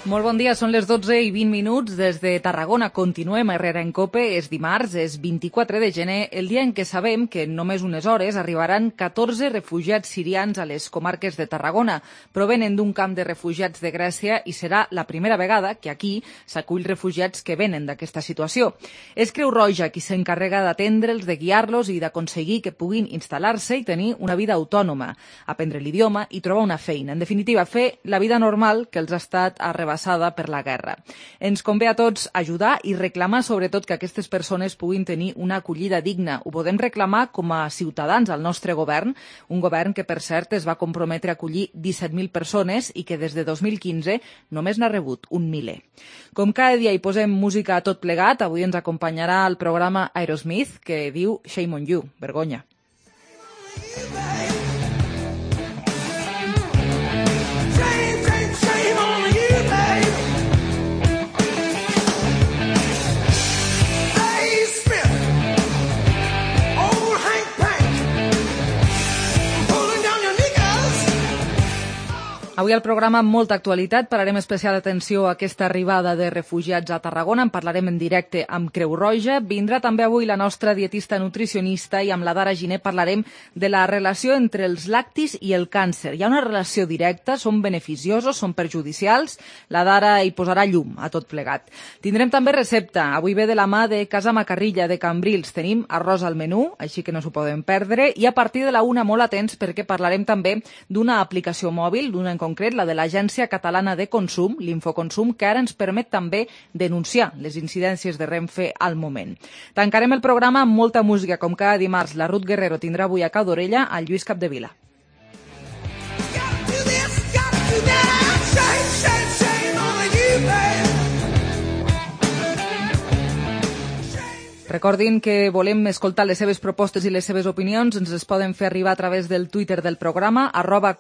Molt bon dia, són les 12:20 des de Tarragona. Continuem a Herrera en Cope, és dimarts, és 24 de gener, el dia en què sabem que en només unes hores arribaran 14 refugiats sirians a les comarques de Tarragona. Provenen d'un camp de refugiats de Grècia i serà la primera vegada que aquí s'acull refugiats que venen d'aquesta situació. És Creu Roja qui s'encarrega d'atendre'ls, de guiar-los i d'aconseguir que puguin instal·lar-se i tenir una vida autònoma, aprendre l'idioma i trobar una feina. En definitiva, fer la vida normal que els ha estat arrebassada per la guerra. Ens convé a tots ajudar i reclamar sobretot que aquestes persones puguin tenir una acollida digna. Ho podem reclamar com a ciutadans al nostre govern, un govern que per cert es va comprometre a acollir 17.000 persones i que des de 2015 només n'ha rebut un miler. Com cada dia hi posem música a tot plegat, avui ens acompanyarà el programa Aerosmith que diu Shame on You, vergonya. Avui al programa amb molta actualitat parlarem especial atenció a aquesta arribada de refugiats a Tarragona. En parlarem en directe amb Creu Roja. Vindrà també avui la nostra dietista nutricionista i amb la Dara Giner parlarem de la relació entre els lactis i el càncer. Hi ha una relació directa, són beneficiosos, són perjudicials. La Dara hi posarà llum a tot plegat. Tindrem també recepta. Avui ve de la mà de Casa Macarrilla de Cambrils. Tenim arròs al menú, així que no s'ho poden perdre. I a partir de la 1 molt atents perquè parlarem també d'una aplicació mòbil, d'una en concret, la de l'Agència Catalana de Consum, l'Infoconsum, que ara ens permet també denunciar les incidències de Renfe al moment. Tancarem el programa amb molta música, com cada dimarts. La Ruth Guerrero tindrà avui a Cau d'Orella al Lluís Capdevila. Recordin que volem escoltar les seves propostes i les seves opinions. Ens les poden fer arribar a través del Twitter del programa,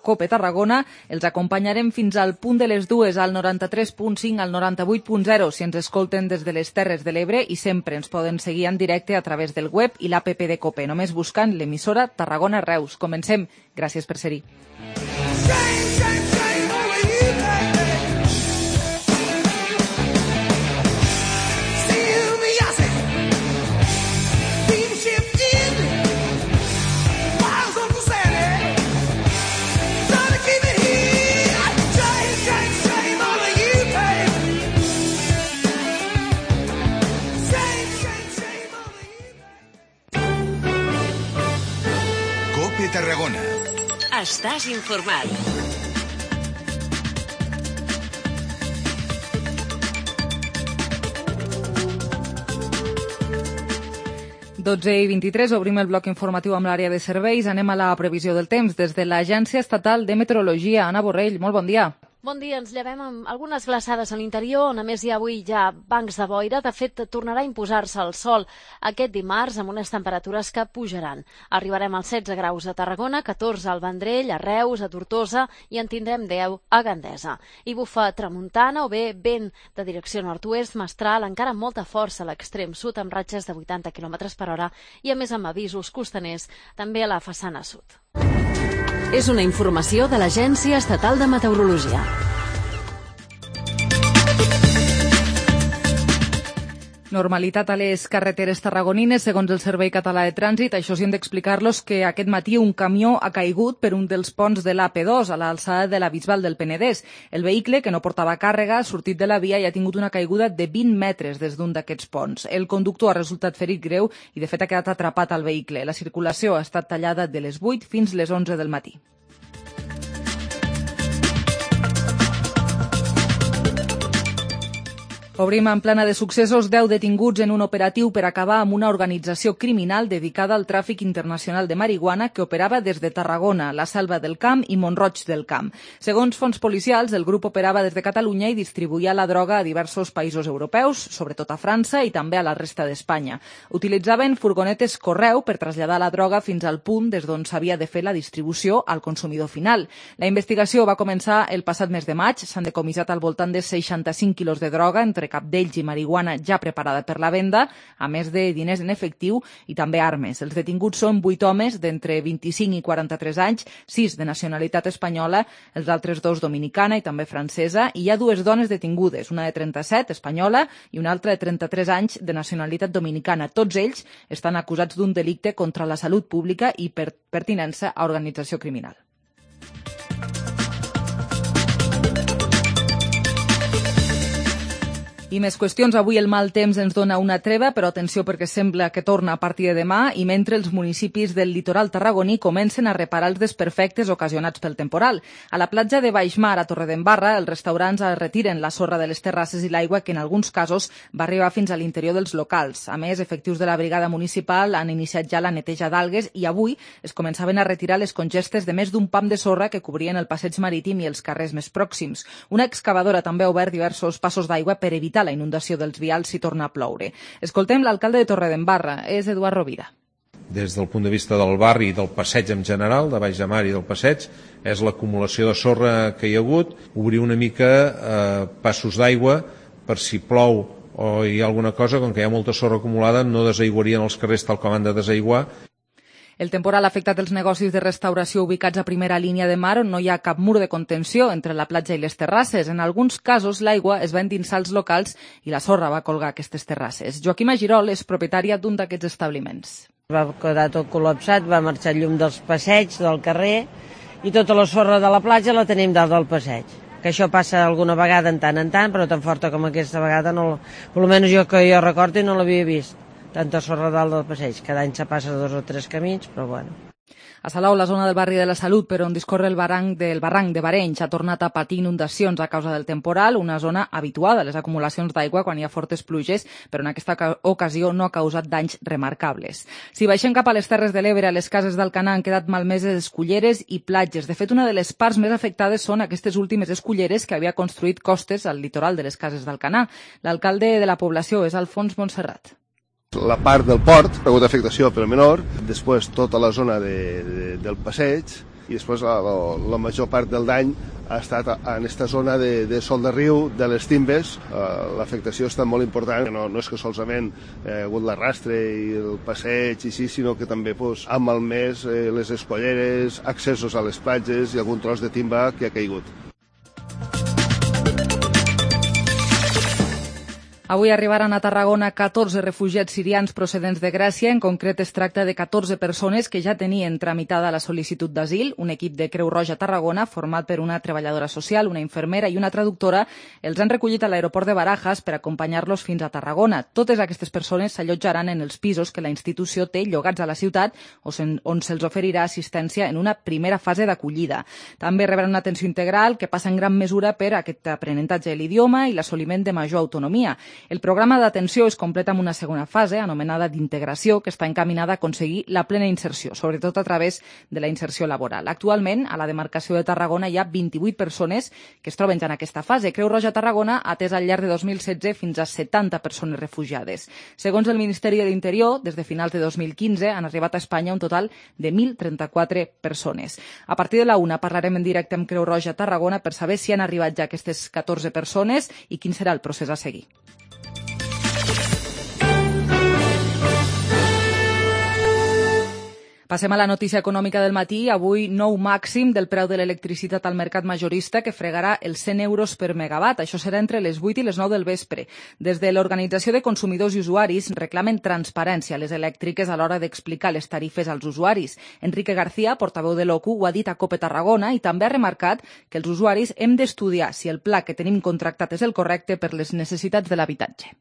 @copetarragona. Els acompanyarem fins al punt de les 2, al 93.5, al 98.0, si ens escolten des de les Terres de l'Ebre, i sempre ens poden seguir en directe a través del web i l'app de Cope, només buscant l'emissora Tarragona Reus. Comencem. Gràcies per ser-hi. Tarragona. Estàs informat. Dotze i 23, obrim el bloc informatiu amb l'àrea de serveis. Anem a la previsió del temps des de l'Agència Estatal de Meteorologia. Anna Borrell, molt bon dia. Bon dia, ens llevem amb algunes glaçades a l'interior, on a més hi ha avui ja bancs de boira. De fet, tornarà a imposar-se el sol aquest dimarts amb unes temperatures que pujaran. Arribarem als 16 graus a Tarragona, 14 al Vendrell, a Reus, a Tortosa i en tindrem 10 a Gandesa. I bufa tramuntana o bé vent de direcció nord-oest, mestral, encara amb molta força a l'extrem sud amb ratxes de 80 km per hora i a més amb avisos costaners també a la façana sud. És una informació de l'Agència Estatal de Meteorologia. Normalitat a les carreteres tarragonines, segons el Servei Català de Trànsit. Això sí, hem d'explicar-los que aquest matí un camió ha caigut per un dels ponts de l'AP2, a l'alçada de la Bisbal del Penedès. El vehicle, que no portava càrrega, ha sortit de la via i ha tingut una caiguda de 20 metres des d'un d'aquests ponts. El conductor ha resultat ferit greu i, de fet, ha quedat atrapat al vehicle. La circulació ha estat tallada de les 8 fins les 11 del matí. Obrim en plana de successos 10 detinguts en un operatiu per acabar amb una organització criminal dedicada al tràfic internacional de marihuana que operava des de Tarragona, la Selva del Camp i Mont-roig del Camp. Segons fonts policials, el grup operava des de Catalunya i distribuïa la droga a diversos països europeus, sobretot a França i també a la resta d'Espanya. Utilitzaven furgonetes correu per traslladar la droga fins al punt des d'on s'havia de fer la distribució al consumidor final. La investigació va començar el passat mes de maig. S'han decomissat al voltant de 65 quilos de droga entre entre cap d'ells i marihuana ja preparada per la venda, a més de diners en efectiu i també armes. Els detinguts són 8 homes d'entre 25 i 43 anys, 6 de nacionalitat espanyola, els altres 2 dominicana i també francesa, i hi ha 2 dones detingudes, una de 37, espanyola, i una altra de 33 anys de nacionalitat dominicana. Tots ells estan acusats d'un delicte contra la salut pública i per pertinença a organització criminal. I més qüestions. Avui el mal temps ens dona una treva, però atenció perquè sembla que torna a partir de demà i mentre els municipis del litoral tarragoní comencen a reparar els desperfectes ocasionats pel temporal. A la platja de Baixmar, a Torredembarra, els restaurants retiren la sorra de les terrasses i l'aigua que en alguns casos va arribar fins a l'interior dels locals. A més, efectius de la brigada municipal han iniciat ja la neteja d'algues i avui es començaven a retirar les congestes de més d'un pam de sorra que cobrien el passeig marítim i els carrers més pròxims. Una excavadora també ha obert diversos passos d'aigua per evitar la inundació dels vials si torna a ploure. Escoltem l'alcalde de Torredembarra, és Eduard Rovira. Des del punt de vista del barri i del passeig en general, de Baix de Mar i del passeig, és l'acumulació de sorra que hi ha hagut, obrir una mica passos d'aigua per si plou o hi ha alguna cosa, com que hi ha molta sorra acumulada, no desaiguarien els carrers tal com han de desaiguar. El temporal ha afectat els negocis de restauració ubicats a primera línia de mar on no hi ha cap mur de contenció entre la platja i les terrasses. En alguns casos, l'aigua es va endinsar als locals i la sorra va colgar aquestes terrasses. Joaquima Girol és propietària d'un d'aquests establiments. Va quedar tot col·lapsat, va marxar el llum dels passeigs, del carrer, i tota la sorra de la platja la tenim dalt del passeig. Que això passa alguna vegada en tant, però tan forta com aquesta vegada, no, per almenys jo que jo recordo no l'havia vist. Tanta sorra dalt del passeig. Cada any se passa 2 o 3 camins, però bueno. A Salou, la zona del barri de la Salut, per on discorre el barranc de Barenys, ha tornat a patir inundacions a causa del temporal, una zona habituada a les acumulacions d'aigua quan hi ha fortes pluges, però en aquesta ocasió no ha causat danys remarcables. Si baixem cap a les Terres de l'Ebre, a les cases d'Alcanar han quedat malmeses esculleres i platges. De fet, una de les parts més afectades són aquestes últimes esculleres que havia construït Costes al litoral de les cases d'Alcanar. L'alcalde de la població és Alfons Montserrat. La part del port ha hagut afectació pel menor, després tota la zona del passeig i després la major part del dany ha estat en aquesta zona de Sol de Riu, de les Timbes. L'afectació ha estat molt important, no és que solament ha hagut l'arrastre i el passeig i sí, sinó que també ha malmès les escolleres, accessos a les platges i algun tros de timba que ha caigut. Avui arribaran a Tarragona 14 refugiats sirians procedents de Grècia. En concret, es tracta de 14 persones que ja tenien tramitada la sol·licitud d'asil. Un equip de Creu Roja Tarragona, format per una treballadora social, una infermera i una traductora, els han recollit a l'aeroport de Barajas per acompanyar-los fins a Tarragona. Totes aquestes persones s'allotjaran en els pisos que la institució té llogats a la ciutat on se'ls oferirà assistència en una primera fase d'acollida. També rebran una atenció integral que passa en gran mesura per aquest aprenentatge de l'idioma i l'assoliment de major autonomia. El programa d'atenció es completa amb una segona fase, anomenada d'integració, que està encaminada a aconseguir la plena inserció, sobretot a través de la inserció laboral. Actualment, a la demarcació de Tarragona hi ha 28 persones que es troben ja en aquesta fase. Creu Roja Tarragona ha atès al llarg de 2016 fins a 70 persones refugiades. Segons el Ministeri de l'Interior, des de finals de 2015 han arribat a Espanya un total de 1.034 persones. A partir de la 1 parlarem en directe amb Creu Roja Tarragona per saber si han arribat ja aquestes 14 persones i quin serà el procés a seguir. Passem a la notícia econòmica del matí. Avui, nou màxim del preu de l'electricitat al mercat majorista que fregarà els 100 euros per megawatt. Això serà entre les 8 i les 9 del vespre. Des de l'Organització de Consumidors i Usuaris reclamen transparència a les elèctriques a l'hora d'explicar les tarifes als usuaris. Enrique García, portaveu de l'OCU, ho ha dit a COPE Tarragona i també ha remarcat que els usuaris hem d'estudiar si el pla que tenim contractat és el correcte per les necessitats de l'habitatge.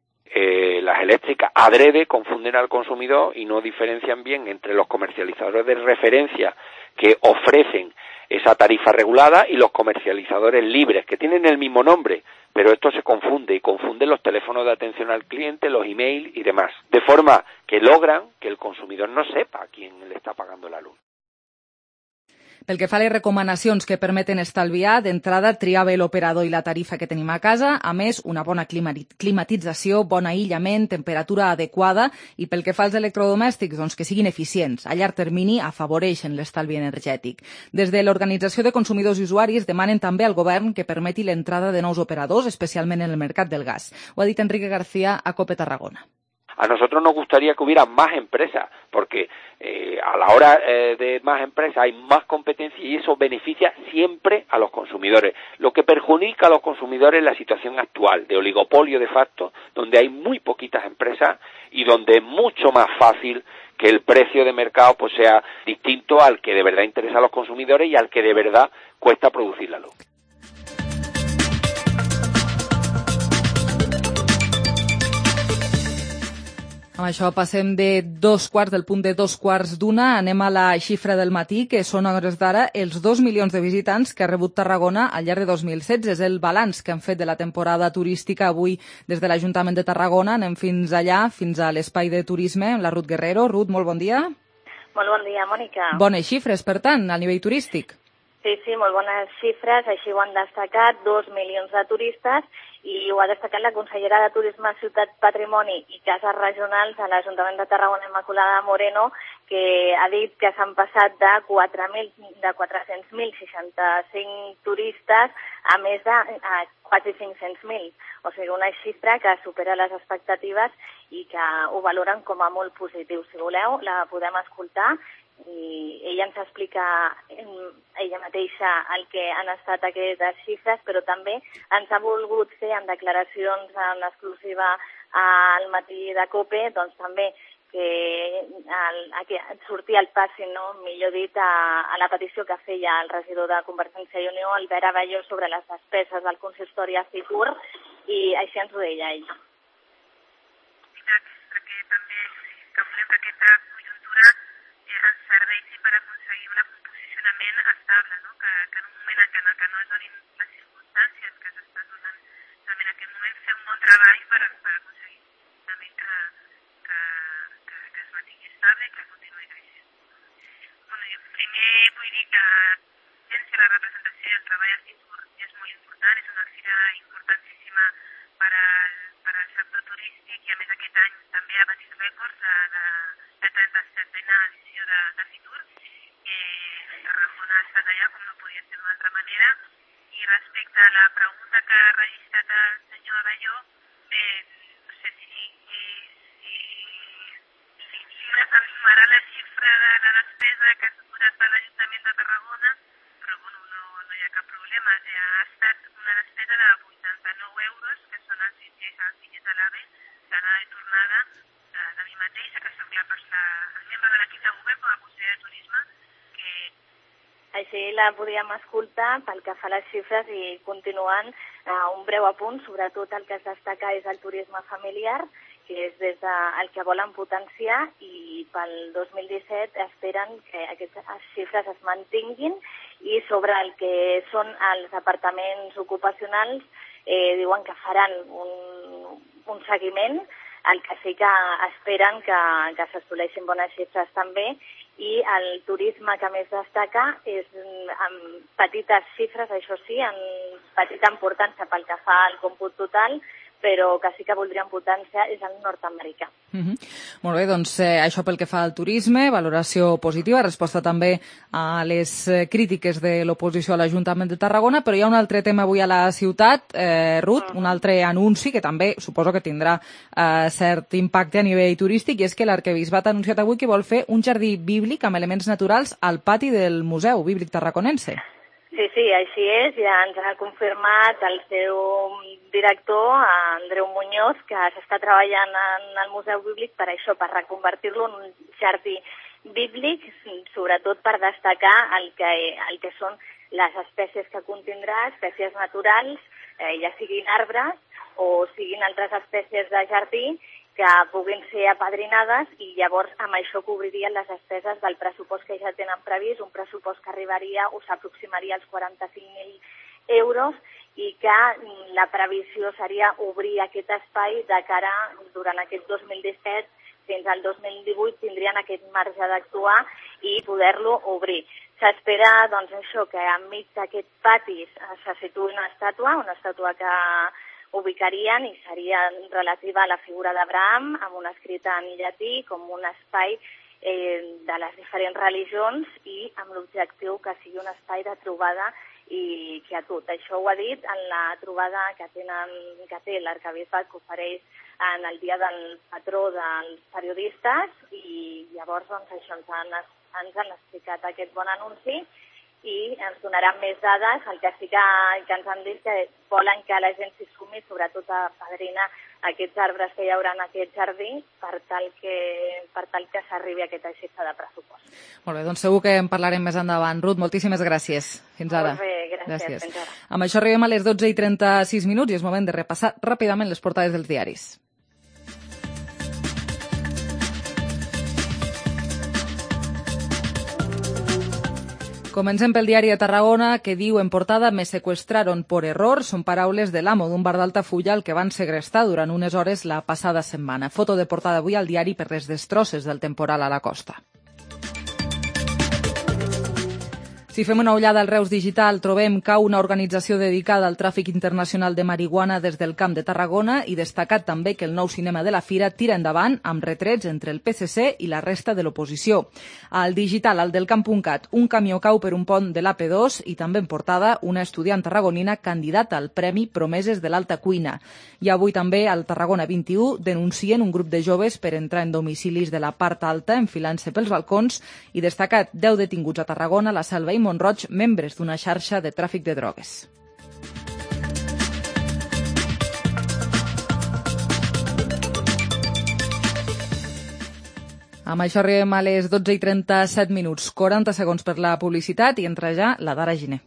Las eléctricas adrede confunden al consumidor y no diferencian bien entre los comercializadores de referencia que ofrecen esa tarifa regulada y los comercializadores libres, que tienen el mismo nombre, pero esto se confunde y confunden los teléfonos de atención al cliente, los emails y demás, de forma que logran que el consumidor no sepa a quién le está pagando la luz. Pel que fa a les recomanacions que permeten estalviar, d'entrada triar bé l'operador i la tarifa que tenim a casa, a més una bona climatització, bon aïllament, temperatura adequada i pel que fa als electrodomèstics, doncs que siguin eficients. A llarg termini afavoreixen l'estalvi energètic. Des de l'Organització de Consumidors i Usuaris demanen també al govern que permeti l'entrada de nous operadors, especialment en el mercat del gas. Ho ha dit Enrique García a COPE Tarragona. A nosotros nos gustaría que hubiera más empresas, porque a la hora de más empresas hay más competencia y eso beneficia siempre a los consumidores. Lo que perjudica a los consumidores es la situación actual de oligopolio de facto, donde hay muy poquitas empresas y donde es mucho más fácil que el precio de mercado pues sea distinto al que de verdad interesa a los consumidores y al que de verdad cuesta producir la luz. Amb això passem del punt de 2:15, anem a la xifra del matí, que són a hores d'ara els 2 milions de visitants que ha rebut Tarragona al llarg de 2016. És el balanç que han fet de la temporada turística avui des de l'Ajuntament de Tarragona. Anem fins allà, fins a l'espai de turisme, la Ruth Guerrero. Ruth, molt bon dia. Molt bon dia, Mònica. Bones xifres, per tant, a nivell turístic. Sí, molt bones xifres, així ho han destacat, 2 milions de turistes, i ho ha destacat la consellera de Turisme, Ciutat, Patrimoni i Cases Regionals a l'Ajuntament de Tarragona, Immaculada Moreno, que ha dit que s'han passat de 400.065 turistes a més de quasi 500.000. O sigui, una xifra que supera les expectatives i que ho valoren com a molt positiu. Si voleu, la podem escoltar i ella ens explica ella mateixa el que han estat aquestes xifres, però també ens ha volgut fer en declaracions en exclusiva al matí de COPE, doncs també que sortia al passi, no? Millor dit, a la petició que feia el regidor de Convergència i Unió, Albert Abelló, sobre les despeses del consistori a Fitur, i així ens ho deia ell. Perquè també calculem que aquesta conjuntura ens serveixi per aconseguir un posicionament estable, no? Que en un moment en què no es donin les circumstàncies que s'estan donant també en aquest moment, fer un bon treball per aconseguir també que es mantingui estable i que continuï creixent. Bueno, jo primer vull dir que la representació i el treball a Fitur és molt important, és una fira importantíssima per al sector turístic i a més aquest any també ha batit rècords la 37a edició de Fitur. Tarragona ha estat allà com no podia ser d'una altra manera. I respecte a la pregunta que ha registrat el senyor Abelló, no sé si ens sumarà la xifra de la despesa que ha suposat per l'Ajuntament de Tarragona, però bueno, no hi ha cap problema. Ha estat una despesa de 89 euros, que són els bitllets de l'AVE, d'anada i tornada de mi mateixa, que soc el membre de l'equip de govern com a conseller de Turisme. Així la podíem escoltar pel que fa a les xifres i continuant un breu apunt, sobretot el que es destaca és el turisme familiar, que és des del que volen potenciar, i pel 2017 esperen que aquestes xifres es mantinguin, i sobre el que són els apartaments ocupacionals diuen que faran un seguiment, el que sí que esperen que s'assoleixin bones xifres també, i el turisme que més destaca és amb petites xifres, això sí, amb petita importància pel que fa al còmput total, però que sí que voldrien potenciar és el nord-americà. Molt bé, doncs això pel que fa al turisme, valoració positiva, resposta també a les crítiques de l'oposició a l'Ajuntament de Tarragona, però hi ha un altre tema avui a la ciutat, Ruth, un altre anunci que també suposo que tindrà cert impacte a nivell turístic, i és que l'Arquebisbat ha anunciat avui que vol fer un jardí bíblic amb elements naturals al pati del Museu Bíblic Tarraconense. Sí, així és. Ja ens ha confirmat el seu director, Andreu Muñoz, que s'està treballant en el Museu Bíblic per això, per reconvertir-lo en un jardí bíblic, sobretot per destacar el que són les espècies que contindrà, espècies naturals, ja siguin arbres o siguin altres espècies de jardí, que puguin ser apadrinades, i llavors amb això cobririen les despeses del pressupost que ja tenen previst, un pressupost que arribaria o s'aproximaria als 45.000 euros, i que la previsió seria obrir aquest espai de cara durant aquest 2017 fins al 2018 tindrien aquest marge d'actuar i poder-lo obrir. S'espera, doncs, això, que enmig d'aquest pati se situï una estàtua que ubicarien i seria relativa a la figura d'Abraham, amb un escrit en llatí, com un espai de les diferents religions i amb l'objectiu que sigui un espai de trobada i quietud. Això ho ha dit en la trobada que té l'arquebisbat, que ofereix en el dia del patró dels periodistes, i llavors doncs, això ens han explicat aquest bon anunci i ens donaran més dades. El que sí que ens han dit que volen que la gent s'hi sumi, sobretot a padrinar aquests arbres que hi haurà en aquest jardí per tal que s'arribi a aquesta xifra de pressupost. Molt bé, doncs segur que en parlarem més endavant. Ruth, moltíssimes gràcies. Fins ara. Molt bé, gràcies. Fins ara. Amb això arribem a les 12:36 i és moment de repassar ràpidament les portades dels diaris. Comencem pel diari de Tarragona, que diu en portada «Me secuestraron por error». Són paraules de l'amo d'un bar d'Altafulla al que van segrestar durant unes hores la passada setmana. Foto de portada avui al diari per les destrosses del temporal a la costa. Si fem una ullada al Reus Digital, trobem que una organització dedicada al tràfic internacional de marihuana des del Camp de Tarragona, i destacat també que el nou cinema de la Fira tira endavant amb retrets entre el PSC i la resta de l'oposició. Al Digital, al del Camp.cat, un camió cau per un pont de l'AP2 i també en portada una estudiant tarragonina candidata al Premi Promeses de l'Alta Cuina. I avui també al Tarragona 21 denuncien un grup de joves per entrar en domicilis de la part alta enfilant-se pels balcons, i destacat 10 detinguts a Tarragona, la Selva i Montroig, membres d'una xarxa de tràfic de drogues. Amb això arribem a les 12:37, 40 segons per la publicitat, i entra ja la Dara Giner.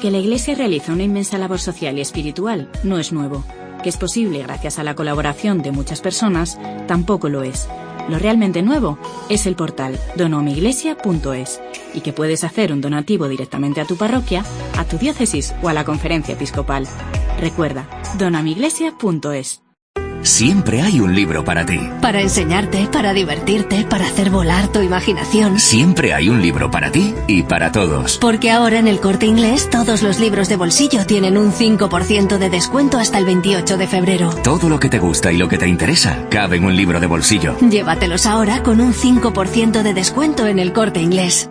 Que la Iglesia realiza una inmensa labor social y espiritual no es nuevo. Que es posible gracias a la colaboración de muchas personas tampoco lo es. Lo realmente nuevo es el portal donoamiglesia.es, y que puedes hacer un donativo directamente a tu parroquia, a tu diócesis o a la conferencia episcopal. Recuerda, donoamiglesia.es. Siempre hay un libro para ti. Para enseñarte, para divertirte, para hacer volar tu imaginación. Siempre hay un libro para ti y para todos. Porque ahora en el Corte Inglés todos los libros de bolsillo tienen un 5% de descuento hasta el 28 de febrero. Todo lo que te gusta y lo que te interesa cabe en un libro de bolsillo. Llévatelos ahora con un 5% de descuento en el Corte Inglés.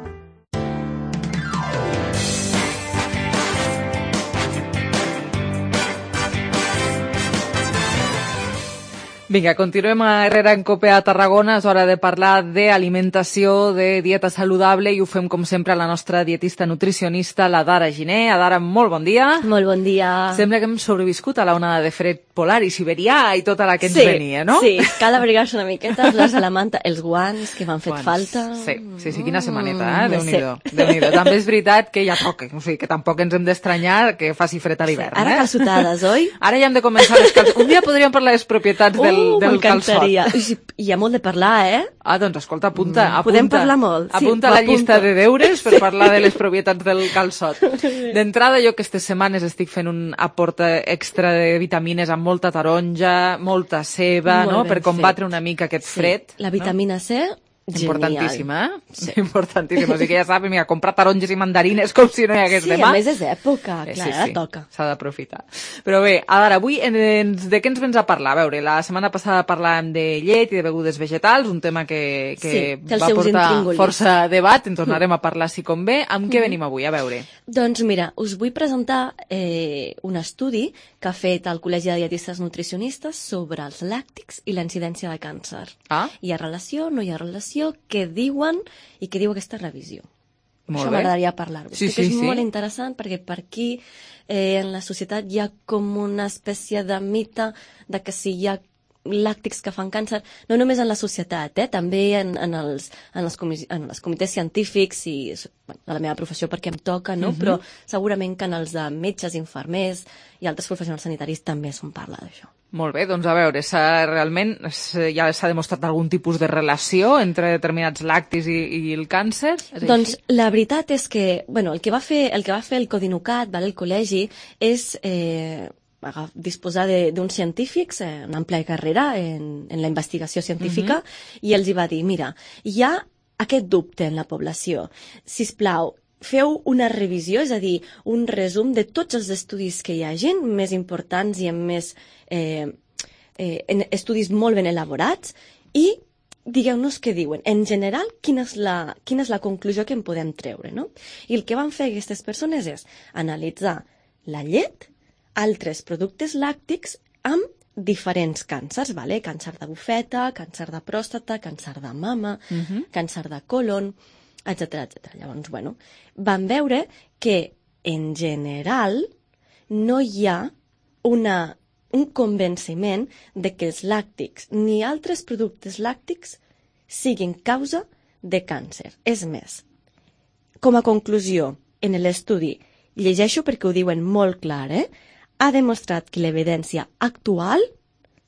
Vinga, continuem a Herrera en Cope a Tarragona. És hora de parlar d'alimentació, de dieta saludable, i ho fem, com sempre, a la nostra dietista nutricionista, la Dara Giner. Dara, molt bon dia. Molt bon dia. Sembla que hem sobreviscut a la onada de fred polar i siberià i tota la que ens venia, no? Sí, cal abrigar-se una miqueta, les de la manta, els guants que m'han fet falta. Sí, quina setmaneta, Déu-n'hi-do. També és veritat que ja toca, o sigui, que tampoc ens hem d'estranyar que faci fred a l'hivern. Ara calçotades, oi? Ara ja hem de començar les calçotes. Un dia podríem parlar de les propietats del calçot. Hi ha molt de parlar, eh? Ah, doncs escolta, apunta. Podem parlar molt. Apunta la llista de deures per parlar de les propietats del calçot. D'entrada, jo aquestes setmanes estic fent un aport extra de vitamines amb molta taronja, molta ceba, no?, per combatre una mica aquest fred. La vitamina C, importantíssima, eh? Importantíssima. O sigui que ja saps, mira, comprar taronges i mandarines com si no hi hagués demà. Sí, a més és època, clar, ara toca. S'ha d'aprofitar. Però bé, ara, avui, de què ens vens a parlar? A veure, la setmana passada parlàvem de llet i de begudes vegetals, un tema que va portar força debat, en tornarem a parlar si convé. Amb què venim avui? A veure. Doncs mira, us vull presentar un estudi que ha fet el Col·legi de Dietistes Nutricionistes sobre els làctics i la incidència de càncer. Hi ha relació, no hi ha relació, què diuen i què diu aquesta revisió. Això m'agradaria parlar-vos. Sí. És molt interessant perquè per aquí en la societat hi ha com una espècie de mite de que si hi ha làctics que fan càncer, no només en la societat, també en els comitès científics i a la meva professió perquè em toca, no? Però segurament que en els de metges, infermers i altres professionals sanitaris també se'n parla d'això. Molt bé, doncs a veure, realment ja s'ha demostrat algun tipus de relació entre determinats làctics i el càncer? Doncs la veritat és que, el que va fer el Codinucat, el col·legi, és disposar d'uns científics, una àmplia carrera en la investigació científica, i els hi va dir, mira, hi ha aquest dubte en la població. Sisplau, feu una revisió, és a dir, un resum de tots els estudis que hi hagin, més importants i amb més estudis molt ben elaborats, i digueu-nos què diuen. En general, quina és la conclusió que en podem treure, no? I el que van fer aquestes persones és analitzar la llet, altres productes làctics amb diferents càncers, càncer de bufeta, càncer de pròstata, càncer de mama, càncer de colon, etc. Llavors, van veure que, en general, no hi ha un convenciment de que els làctics ni altres productes làctics siguin causa de càncer. És més, com a conclusió, en l'estudi, llegeixo perquè ho diuen molt clar, ha demostrat que l'evidència actual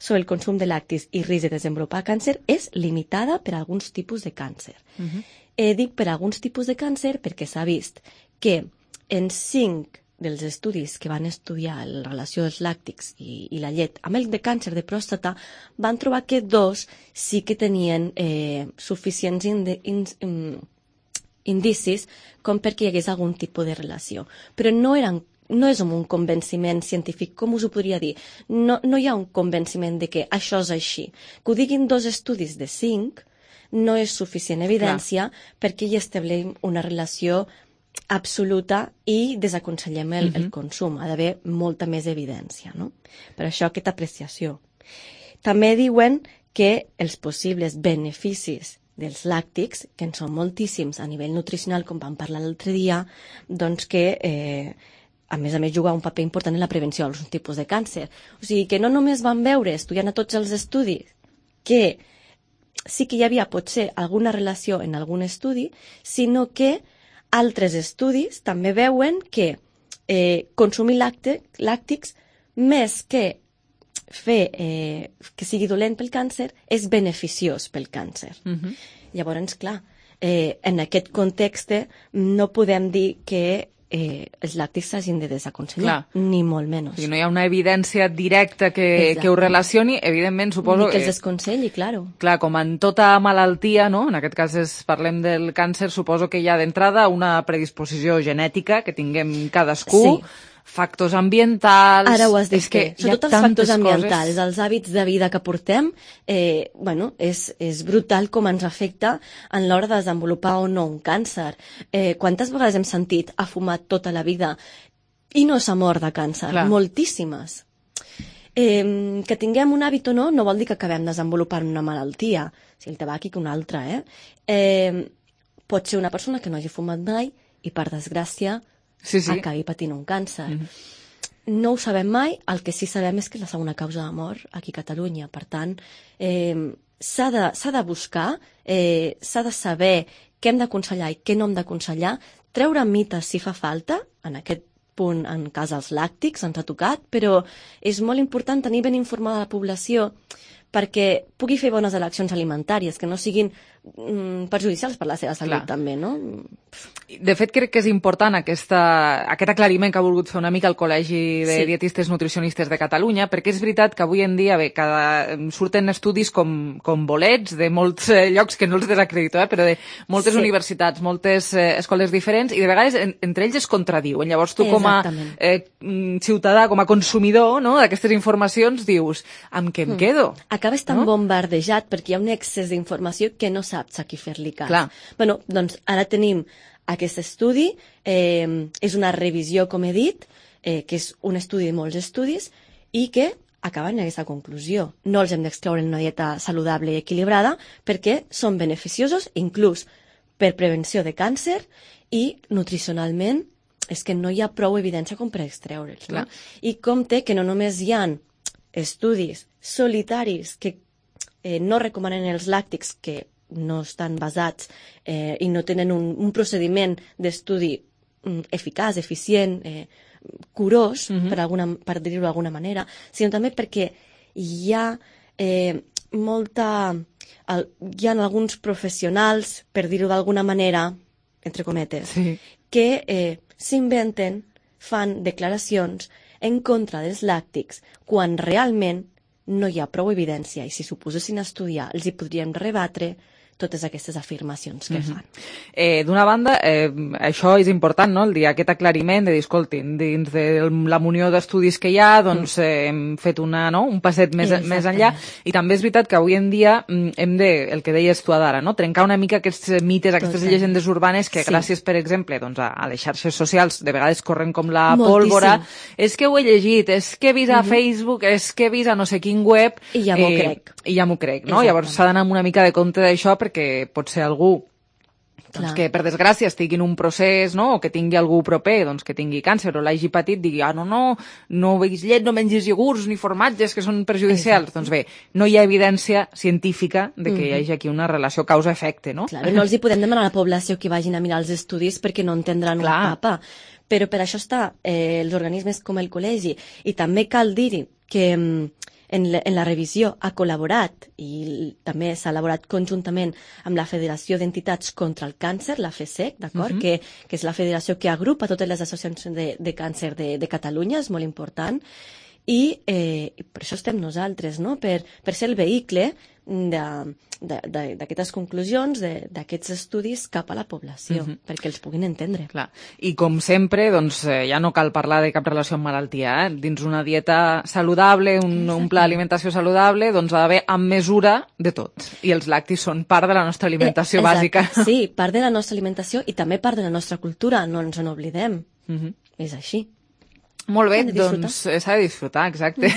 sobre el consum de làctics i risc de desenvolupar càncer és limitada per a alguns tipus de càncer. Dic per a alguns tipus de càncer perquè s'ha vist que en 5 dels estudis que van estudiar la relació dels làctics i la llet amb el de càncer de pròstata van trobar que 2 sí que tenien suficients indicis com perquè hi hagués algun tipus de relació. Però no és un convenciment científic, com us ho podria dir. No hi ha un convenciment de que això és així. Que ho diguin 2 estudis de 5 no és suficient evidència perquè hi establim una relació absoluta i desaconsellem el consum. Ha d'haver molta més evidència, no? Per això aquesta apreciació. També diuen que els possibles beneficis dels làctics, que en són moltíssims a nivell nutricional, com vam parlar l'altre dia, doncs que a més juga un paper important en la prevenció d'alguns tipus de càncer. O sigui que no només van veure, estudiant a tots els estudis, que sí que hi havia potser alguna relació en algun estudi, sinó que altres estudis també veuen que consumir làctics, més que fer que sigui dolent pel càncer, és beneficiós pel càncer. Llavors, clar, en aquest context no podem dir que els làctics s'hagin de desaconsellar, ni molt menys. No hi ha una evidència directa que ho relacioni, evidentment, suposo... Ni que els desconselli, claro. Clar, com en tota malaltia, no? En aquest cas parlem del càncer, suposo que hi ha d'entrada una predisposició genètica que tinguem cadascú, factors ambientals... Ara ho has dit bé. Sobretot els factors ambientals, els hàbits de vida que portem, és brutal com ens afecta en l'hora de desenvolupar o no un càncer. Quantes vegades hem sentit ha fumat tota la vida i no s'ha mort de càncer? Moltíssimes. Que tinguem un hàbit o no vol dir que acabem desenvolupant una malaltia, si el tabac que una altra. Pot ser una persona que no hagi fumat mai i, per desgràcia, acabi patint un càncer. No ho sabem mai, el que sí sabem és que és la segona causa de mort aquí a Catalunya. Per tant, s'ha de buscar, s'ha de saber què hem d'aconsellar i què no hem d'aconsellar, treure mites si fa falta, en aquest punt en cas dels làctics ens ha tocat, però és molt important tenir ben informada la població perquè pugui fer bones eleccions alimentàries, que no siguin perjudicials per la seva salut també, no? De fet, crec que és important aquest aclariment que ha volgut fer una mica el Col·legi de Dietistes Nutricionistes de Catalunya, perquè és veritat que avui en dia surten estudis com bolets de molts llocs que no els desacredito, però de moltes universitats, moltes escoles diferents, i de vegades entre ells es contradiuen. Llavors tu com a ciutadà, com a consumidor d'aquestes informacions dius, amb què em quedo? Acabes tan bombardejat perquè hi ha un excés d'informació que no saps a qui fer-li cas. Bueno, doncs ara tenim aquest estudi, és una revisió, com he dit, que és un estudi de molts estudis i que acaben en aquesta conclusió. No els hem d'excloure en una dieta saludable i equilibrada perquè són beneficiosos, inclús per prevenció de càncer, i nutricionalment és que no hi ha prou evidència com per extreure'ls. I compte que no només hi ha estudis solitaris que no recomanen els làctics, que no estan basats i no tenen un procediment d'estudi eficaç, eficient, curós, per dir-ho d'alguna manera, sinó també perquè hi ha hi ha alguns professionals, per dir-ho d'alguna manera, entre cometes, que s'inventen, fan declaracions en contra dels làctics quan realment no hi ha prou evidència, i si s'ho posessin a estudiar els hi podríem rebatre totes aquestes afirmacions que fan. D'una banda, això és important, no?, el dir aquest aclariment de dir, escoltin, dins de la munió d'estudis que hi ha, doncs hem fet un passet més enllà, i també és veritat que avui en dia hem de, el que deies tu ara, no?, trencar una mica aquests mites, aquestes llegendes urbanes que gràcies, per exemple, doncs a les xarxes socials de vegades corren com la pólvora. És que ho he llegit, és que he vist a Facebook, és que he vist a no sé quin web... I ja m'ho crec. I ja m'ho crec, no? Llavors s'ha d'anar amb una mica de compte d'això, perquè pot ser algú que per desgràcia estigui en un procés, o que tingui algú proper que tingui càncer o l'hagi patit, digui, no beguis llet, no mengis iogurts ni formatges que són perjudicials. Doncs bé, no hi ha evidència científica de que hi hagi aquí una relació causa-efecte, no? Clar, no els hi podem demanar a la població que vagin a mirar els estudis perquè no entendran un papa. Però per això està els organismes com el col·legi, i també cal dir que en la revisió ha col·laborat i també s'ha elaborat conjuntament amb la Federació d'Entitats contra el Càncer, la FESEC, d'acord? Que és la federació que agrupa totes les associacions de càncer de Catalunya, és molt important, i per això estem nosaltres, no?, per ser el vehicle d'aquestes conclusions, d'aquests estudis cap a la població, perquè els puguin entendre. Clar. I com sempre, doncs ja no cal parlar de cap relació amb malaltia, dins una dieta saludable, un pla d'alimentació saludable, doncs ha d'haver amb mesura de tot. I els làctics són part de la nostra alimentació bàsica. Sí, part de la nostra alimentació i també part de la nostra cultura, no ens n'oblidem. És així. Molt bé, doncs s'ha de disfrutar, exacte.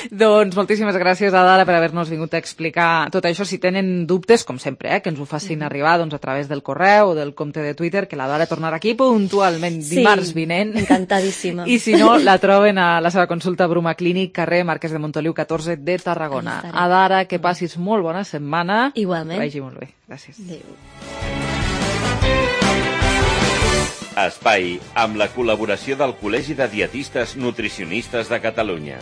Doncs moltíssimes gràcies, Adara, per haver-nos vingut a explicar tot això. Si tenen dubtes, com sempre, que ens ho facin arribar a través del correu o del compte de Twitter, que l'Adara tornarà aquí puntualment dimarts vinent. Encantadíssima. I si no, la troben a la seva consulta Bruma Clínic, carrer Marquès de Montoliu 14 de Tarragona. Adara, que passis molt bona setmana. Igualment. Que vagi molt bé. Gràcies. Adéu. Espai amb la col·laboració del Col·legi de Dietistes Nutricionistes de Catalunya.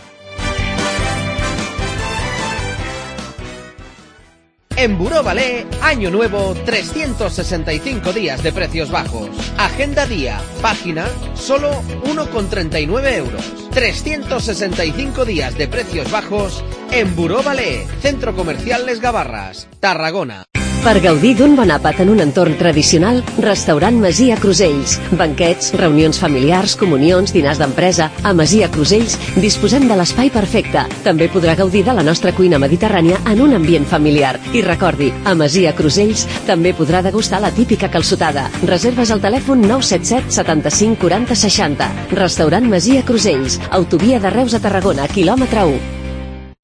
En Buró Ballet, Año Nuevo, 365 días de precios bajos. Agenda día, página, solo 1,39 euros. 365 días de precios bajos en Buró Ballet, Centro Comercial Les Gavarras, Tarragona. Per gaudir d'un bon àpat en un entorn tradicional, restaurant Masia Crusells. Banquets, reunions familiars, comunions, dinars d'empresa. A Masia Crusells disposem de l'espai perfecte. També podrà gaudir de la nostra cuina mediterrània en un ambient familiar. I recordi, a Masia Crusells també podrà degustar la típica calçotada. Reserves al telèfon 977 75 40 60. Restaurant Masia Crusells. Autovia de Reus a Tarragona, quilòmetre 1.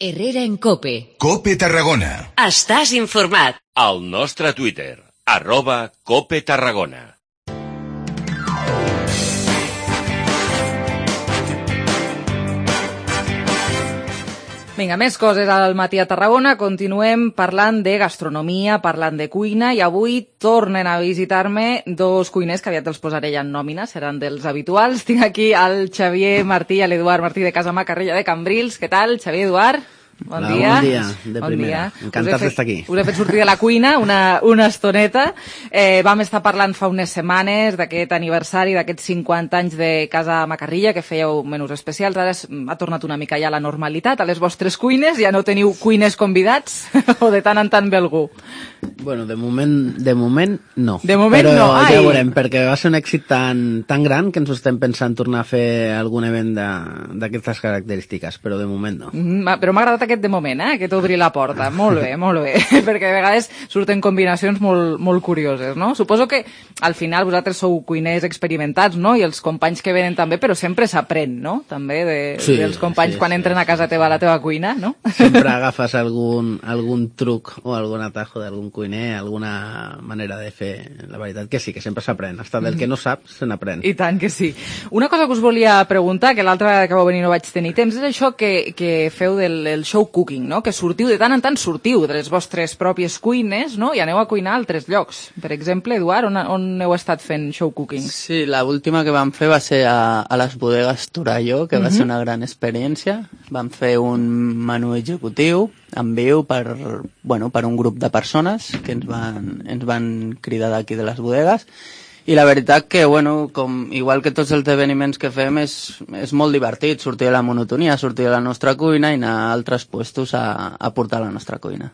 Herrera en COPE. COPE Tarragona. Estàs informat. Al nostre Twitter, @COPE Tarragona. Vinga, més coses al matí a Tarragona. Continuem parlant de gastronomia, parlant de cuina, i avui tornen a visitar-me dos cuiners que aviat els posaré ja en nòmina, seran dels habituals. Tinc aquí el Xavier Martí i l'Eduard Martí de Casa Macarrella de Cambrils. Què tal, Xavier, Eduard? Bon dia. Bon dia, de primera. Encantats d'estar aquí. Us he fet sortir de la cuina una estoneta. Vam estar parlant fa unes setmanes d'aquest aniversari, d'aquests 50 anys de Casa Macarrilla, que fèieu menús especials. Ara ha tornat una mica ja a la normalitat, a les vostres cuines. Ja no teniu cuiners convidats? O de tant en tant ve algú? Bueno, de moment no. De moment però no, ja veurem, perquè va ser un èxit tan gran que ens ho estem pensant tornar a fer algun event d'aquestes característiques, però de moment no. Però m'ha agradat aquest de moment, aquest obrir la porta. Molt bé, perquè a vegades surten combinacions molt curioses, no? Suposo que al final vosaltres sou cuiners experimentats, no? I els companys que venen també, però sempre s'aprèn, no? També dels companys quan entren a casa teva a la teva cuina, no? Sempre agafes algun truc o algun atajo d'algun cuiner, alguna manera de fer. La veritat que sí, que sempre s'aprèn. Hasta del que no saps, se n'aprèn. I tant que sí. Una cosa que us volia preguntar, que l'altra vegada que vau venir no vaig tenir temps, és això que feu del show cooking, no? Que sortiu, de tant en tant sortiu de les vostres pròpies cuines, no? I aneu a cuinar a altres llocs. Per exemple, Eduard, on heu estat fent show cooking? Sí, la última que vam fer va ser a les bodegues Torelló, que va ser una gran experiència. Vam fer un menú executiu en viu per un grup de persones que ens van cridar d'aquí de les bodegues. I la veritat que, igual que tots els esdeveniments que fem, és molt divertit sortir de la monotonia, sortir de la nostra cuina i anar a altres puestos a portar la nostra cuina.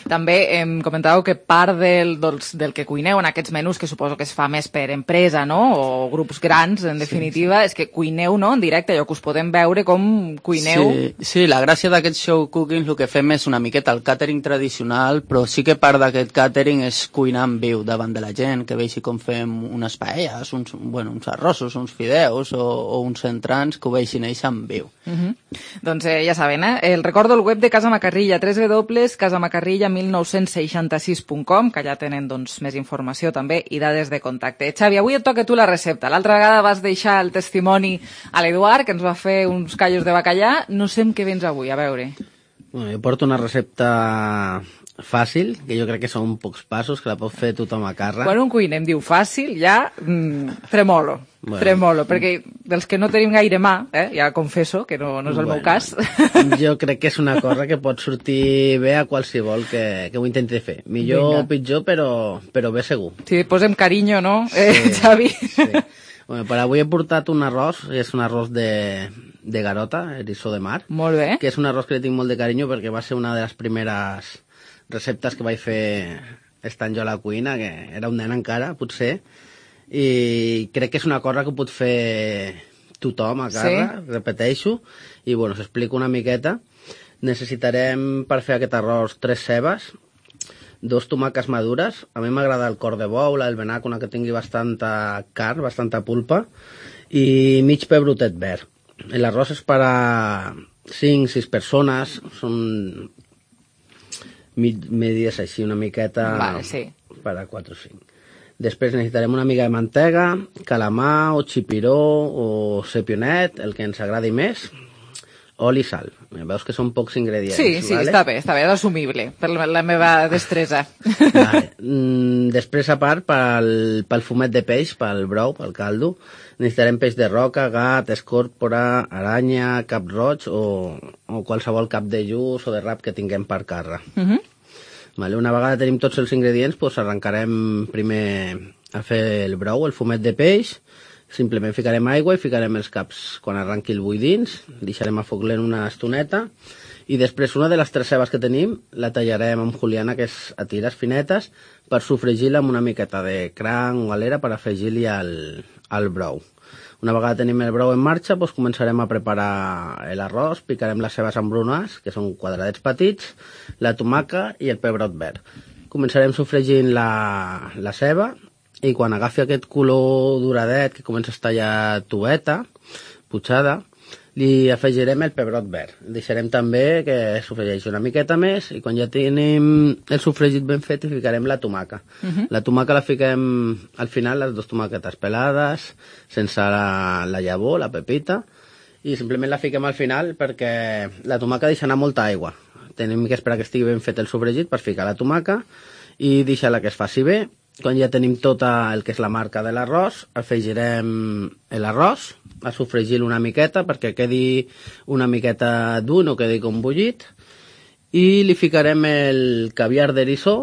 També em comentàveu que part del que cuineu en aquests menús, que suposo que es fa més per empresa, no? O grups grans, en definitiva, és que cuineu, no?, en directe, allò que us podem veure com cuineu. Sí, la gràcia d'aquest show cooking, el que fem és una miqueta el càtering tradicional, però sí que part d'aquest càtering és cuinar en viu davant de la gent, que vegi com fem unes paelles, uns arrossos, uns fideus o uns entrants, que ho vegin ells en viu. Doncs ja saben, el recordo el web de Casa Macarrilla, www.casamacarrilla1966.com, que allà tenen més informació també i dades de contacte. Xavi, avui et toca tu la recepta. L'altra vegada vas deixar el testimoni a l'Eduard, que ens va fer uns callos de bacallà. No sé amb què vens avui, a veure. Jo porto una recepta fàcil, que jo crec que són pocs passos, que la pot fer tothom a casa. Quan un cuiner em diu fàcil, ja tremolo, perquè dels que no tenim gaire mà, ja confesso que no és el meu cas. Jo crec que és una cosa que pot sortir bé a qualsevol que ho intenti fer. Millor o pitjor, però bé segur. Sí, posem carinyo, no, Xavi? Sí. Per avui he portat un arròs, és un arròs de garota, eriçó de mar. Molt bé. Que és un arròs que li tinc molt de carinyo perquè va ser una de les primeres receptes que vaig fer estant jo a la cuina, que era un nen encara, potser, i crec que és una cosa que ho pot fer tothom a casa, repeteixo, i us explico una miqueta. Necessitarem per fer aquest arròs 3 cebes, 2 tomàquets madures, a mi m'agrada el cor de bou, el venac, una que tingui bastanta carn, bastanta pulpa, i mig pebrotet verd. L'arròs és per a 5-6 persones, són medides així una miqueta per a 4 o 5. Després necessitarem una mica de mantega, calamar o xipiró o sepionet, el que ens agradi més, oli i sal. Veus que són pocs ingredients. Sí, està bé, és assumible per la meva destresa. Després, a part, pel fumet de peix, pel brou, pel caldo, necessitarem peix de roca, gat, escòrpora, aranya, cap roig o qualsevol cap de lluç o de rap que tinguem per casa. Una vegada tenim tots els ingredients, arrencarem primer a fer el brou, el fumet de peix. Simplement ficarem aigua i ficarem els caps quan arranqui el bull dins, deixarem a foc lent una estoneta i després una de les 3 cebes que tenim la tallarem amb juliana, que és a tires finetes, per sofregir-la amb una miqueta de cranc o galera per afegir-li al brou. Una vegada tenim el brou en marxa, començarem a preparar l'arròs, picarem les cebes embrunades, que són quadradets petits, la tomaca i el pebrot verd. Començarem sofregint la ceba, i quan agafi aquest color doradet, que comença a estar ja tueta, putxada, li afegirem el pebrot verd. Deixarem també que sofregeixi una miqueta més i quan ja tenim el sofregit ben fet hi ficarem la tomaca. La tomaca la fiquem al final, les 2 tomàquetes pelades, sense la llavor, la pepita, i simplement la fiquem al final perquè la tomaca deixa anar molta aigua. Tenim que esperar que estigui ben fet el sofregit per ficar la tomaca i deixar-la que es faci bé. Quan ja tenim tot el que és la marca de l'arròs, afegirem l'arròs, a sofregir-lo una miqueta perquè quedi una miqueta dur, no quedi com bullit, i li ficarem el caviar d'eriçó.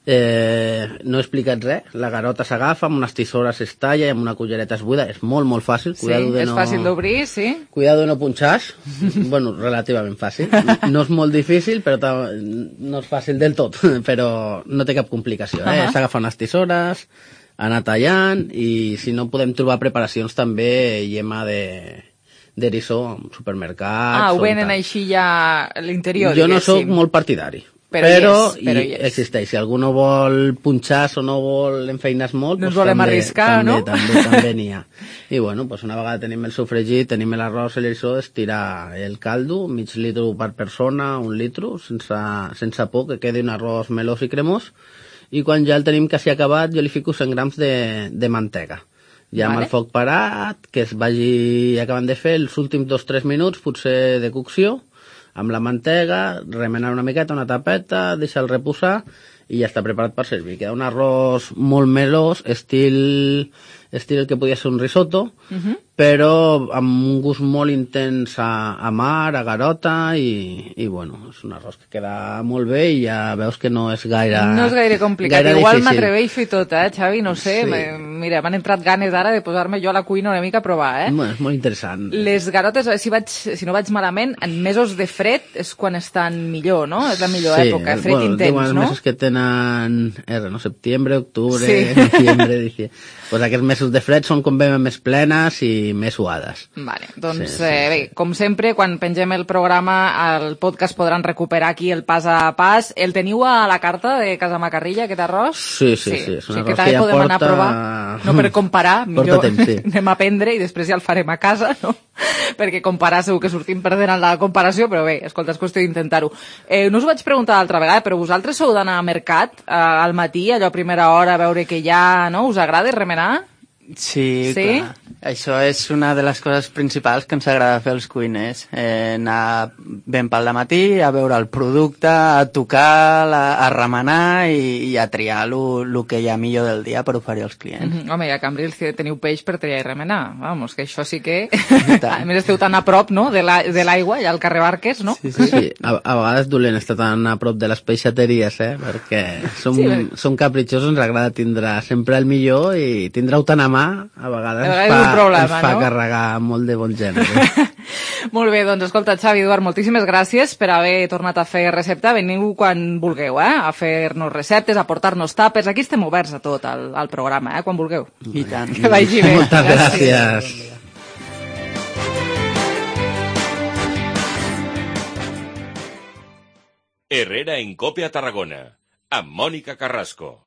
No he explicat res, la garota s'agafa, amb unes tisores es talla i amb una cullereta es buida, és molt, molt fàcil. Sí, és fàcil d'obrir, sí. Cuidado de no punxar, relativament fàcil. No és molt difícil, però no és fàcil del tot, però no té cap complicació. S'agafa unes tisores, anar tallant, i si no podem trobar preparacions també, llema d'eriçó en supermercats. Ho venen així ja a l'interior, jo no sóc molt partidari. Però existeix. Si algú no vol punxar o no vol enfeinar molt, no ens volem arriscar, no? També n'hi ha. I bueno, una vegada tenim el sofregit, tenim l'arròs i l'eriçó, estirar el caldo, mig litro per persona, 1 litro, sense por, que quedi un arròs melós i cremós, i quan ja el tenim quasi acabat, jo li fico 100 grams de mantega. Ja amb el foc parat, que es vagi acabant de fer els últims 2-3 minuts, potser de cocció, amb la mantega, remenar una miqueta, una tapeta, deixar-lo reposar i ja està preparat per servir. Queda un arròs molt melós, estil el que podia ser un risotto, però amb un gust molt intens a mar, a garota, i bueno, és un arròs que queda molt bé i ja veus que no és gaire... No és gaire complicat, gaire igual difícil. m'atreveixo i tot, Xavi? No sé, mira, m'han entrat ganes ara de posar-me jo a la cuina una mica a provar, Bueno, és molt interessant. Les garotes, si no vaig malament, en mesos de fred és quan estan millor, no? És la millor època, fred intens, no? Els mesos que tenen, setembre, octubre, noviembre, diciembre. Pues aquests mesos de fred són com més plenes i més suades. Vale, doncs bé, com sempre, quan pengem el programa, el podcast podran recuperar aquí el pas a pas. El teniu a la carta de Casa Macarrilla, aquest arròs? Sí, és un arròs que ja podem anar a provar, no per comparar, millor anem a aprendre i després ja el farem a casa, no? Perquè comparar segur que sortim perdent en la comparació, però bé, escolta, és qüestió d'intentar-ho. No us ho vaig preguntar l'altra vegada, però vosaltres sou d'anar a mercat al matí, allò a primera hora, a veure què hi ha, no? Us agrada remenar? Sí, clar. Això és una de les coses principals que ens agrada fer als cuiners. Anar ben pel dematí, a veure el producte, a tocar, a remenar i a triar el que hi ha millor del dia per oferir als clients. Home, i a Cambrils teniu peix per triar i remenar. Vamos, que això sí que... A més, esteu tan a prop, no?, de l'aigua, allà al carrer Barques, no? Sí. A vegades dolent estar tan a prop de les peixateries, perquè som capritxosos, ens agrada tindre sempre el millor i tindre-ho tan a mà a vegades ens fa carregar molt de bon gènere. Molt bé, doncs escolta, Xavi, Eduard, moltíssimes gràcies per haver tornat a fer recepta. Veniu quan vulgueu, a fer-nos receptes, a portar-nos tàpers. Aquí estem oberts a tot, al programa, quan vulgueu. I tant. Que vagi bé. Moltes gràcies. Herrera en Cope a Tarragona, amb Mònica Carrasco.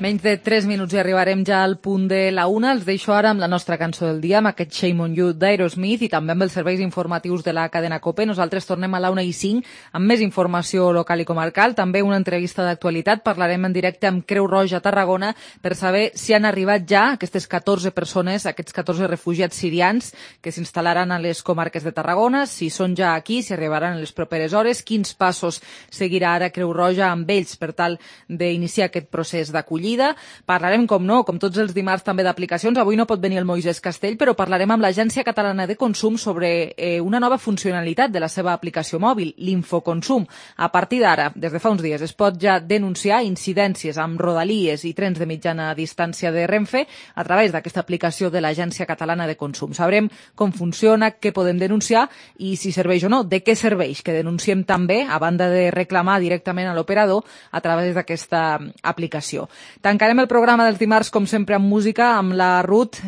Menys de 3 minuts i arribarem ja al punt de la 1. Els deixo ara amb la nostra cançó del dia, amb aquest Shame on You d'Aerosmith i també amb els serveis informatius de la cadena COPE. Nosaltres tornem a la 1:05 amb més informació local i comarcal, també una entrevista d'actualitat. Parlarem en directe amb Creu Roja a Tarragona per saber si han arribat ja aquestes 14 persones, aquests 14 refugiats sirians que s'instal·laran a les comarques de Tarragona, si són ja aquí, si arribaran en les properes hores, quins passos seguirà ara Creu Roja amb ells per tal d'iniciar aquest procés d'acollida. Parlarem, com tots els dimarts, també d'aplicacions. Avui no pot venir el Moisès Castell, però parlarem amb l'Agència Catalana de Consum sobre una nova funcionalitat de la seva aplicació mòbil, l'Infoconsum. A partir d'ara, des de fa uns dies, es pot ja denunciar incidències amb rodalies i trens de mitjana distància de Renfe a través d'aquesta aplicació de l'Agència Catalana de Consum. Sabrem com funciona, què podem denunciar i si serveix o no, de què serveix, que denunciem també, a banda de reclamar directament a l'operador a través d'aquesta aplicació. Tancarem el programa dels dimarts, com sempre, amb música, amb la Ruth.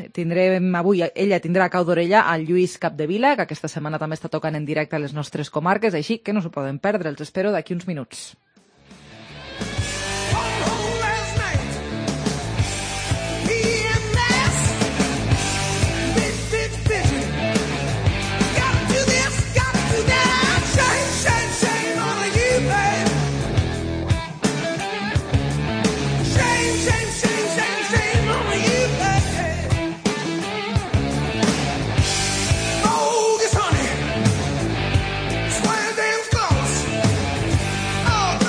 Avui ella tindrà a cau d'orella al Lluís Capdevila, que aquesta setmana també està tocant en directe a les nostres comarques, així que no s'ho poden perdre. Els espero d'aquí uns minuts. Oh,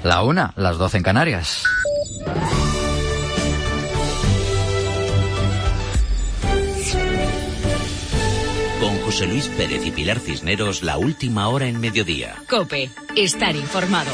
La 1, las 12 en Canarias. Con José Luis Pérez y Pilar Cisneros, la última hora en mediodía. COPE, estar informado.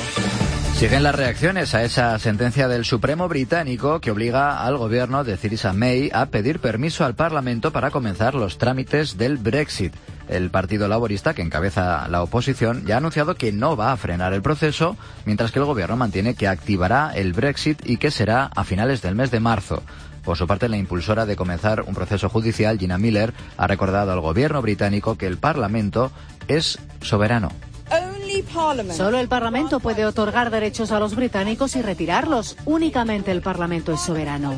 Siguen las reacciones a esa sentencia del Supremo británico que obliga al gobierno de Theresa May a pedir permiso al Parlamento para comenzar los trámites del Brexit. El Partido Laborista, que encabeza la oposición, ya ha anunciado que no va a frenar el proceso, mientras que el gobierno mantiene que activará el Brexit y que será a finales del mes de marzo. Por su parte, la impulsora de comenzar un proceso judicial, Gina Miller, ha recordado al gobierno británico que el Parlamento es soberano. Solo el Parlamento puede otorgar derechos a los británicos y retirarlos. Únicamente el Parlamento es soberano.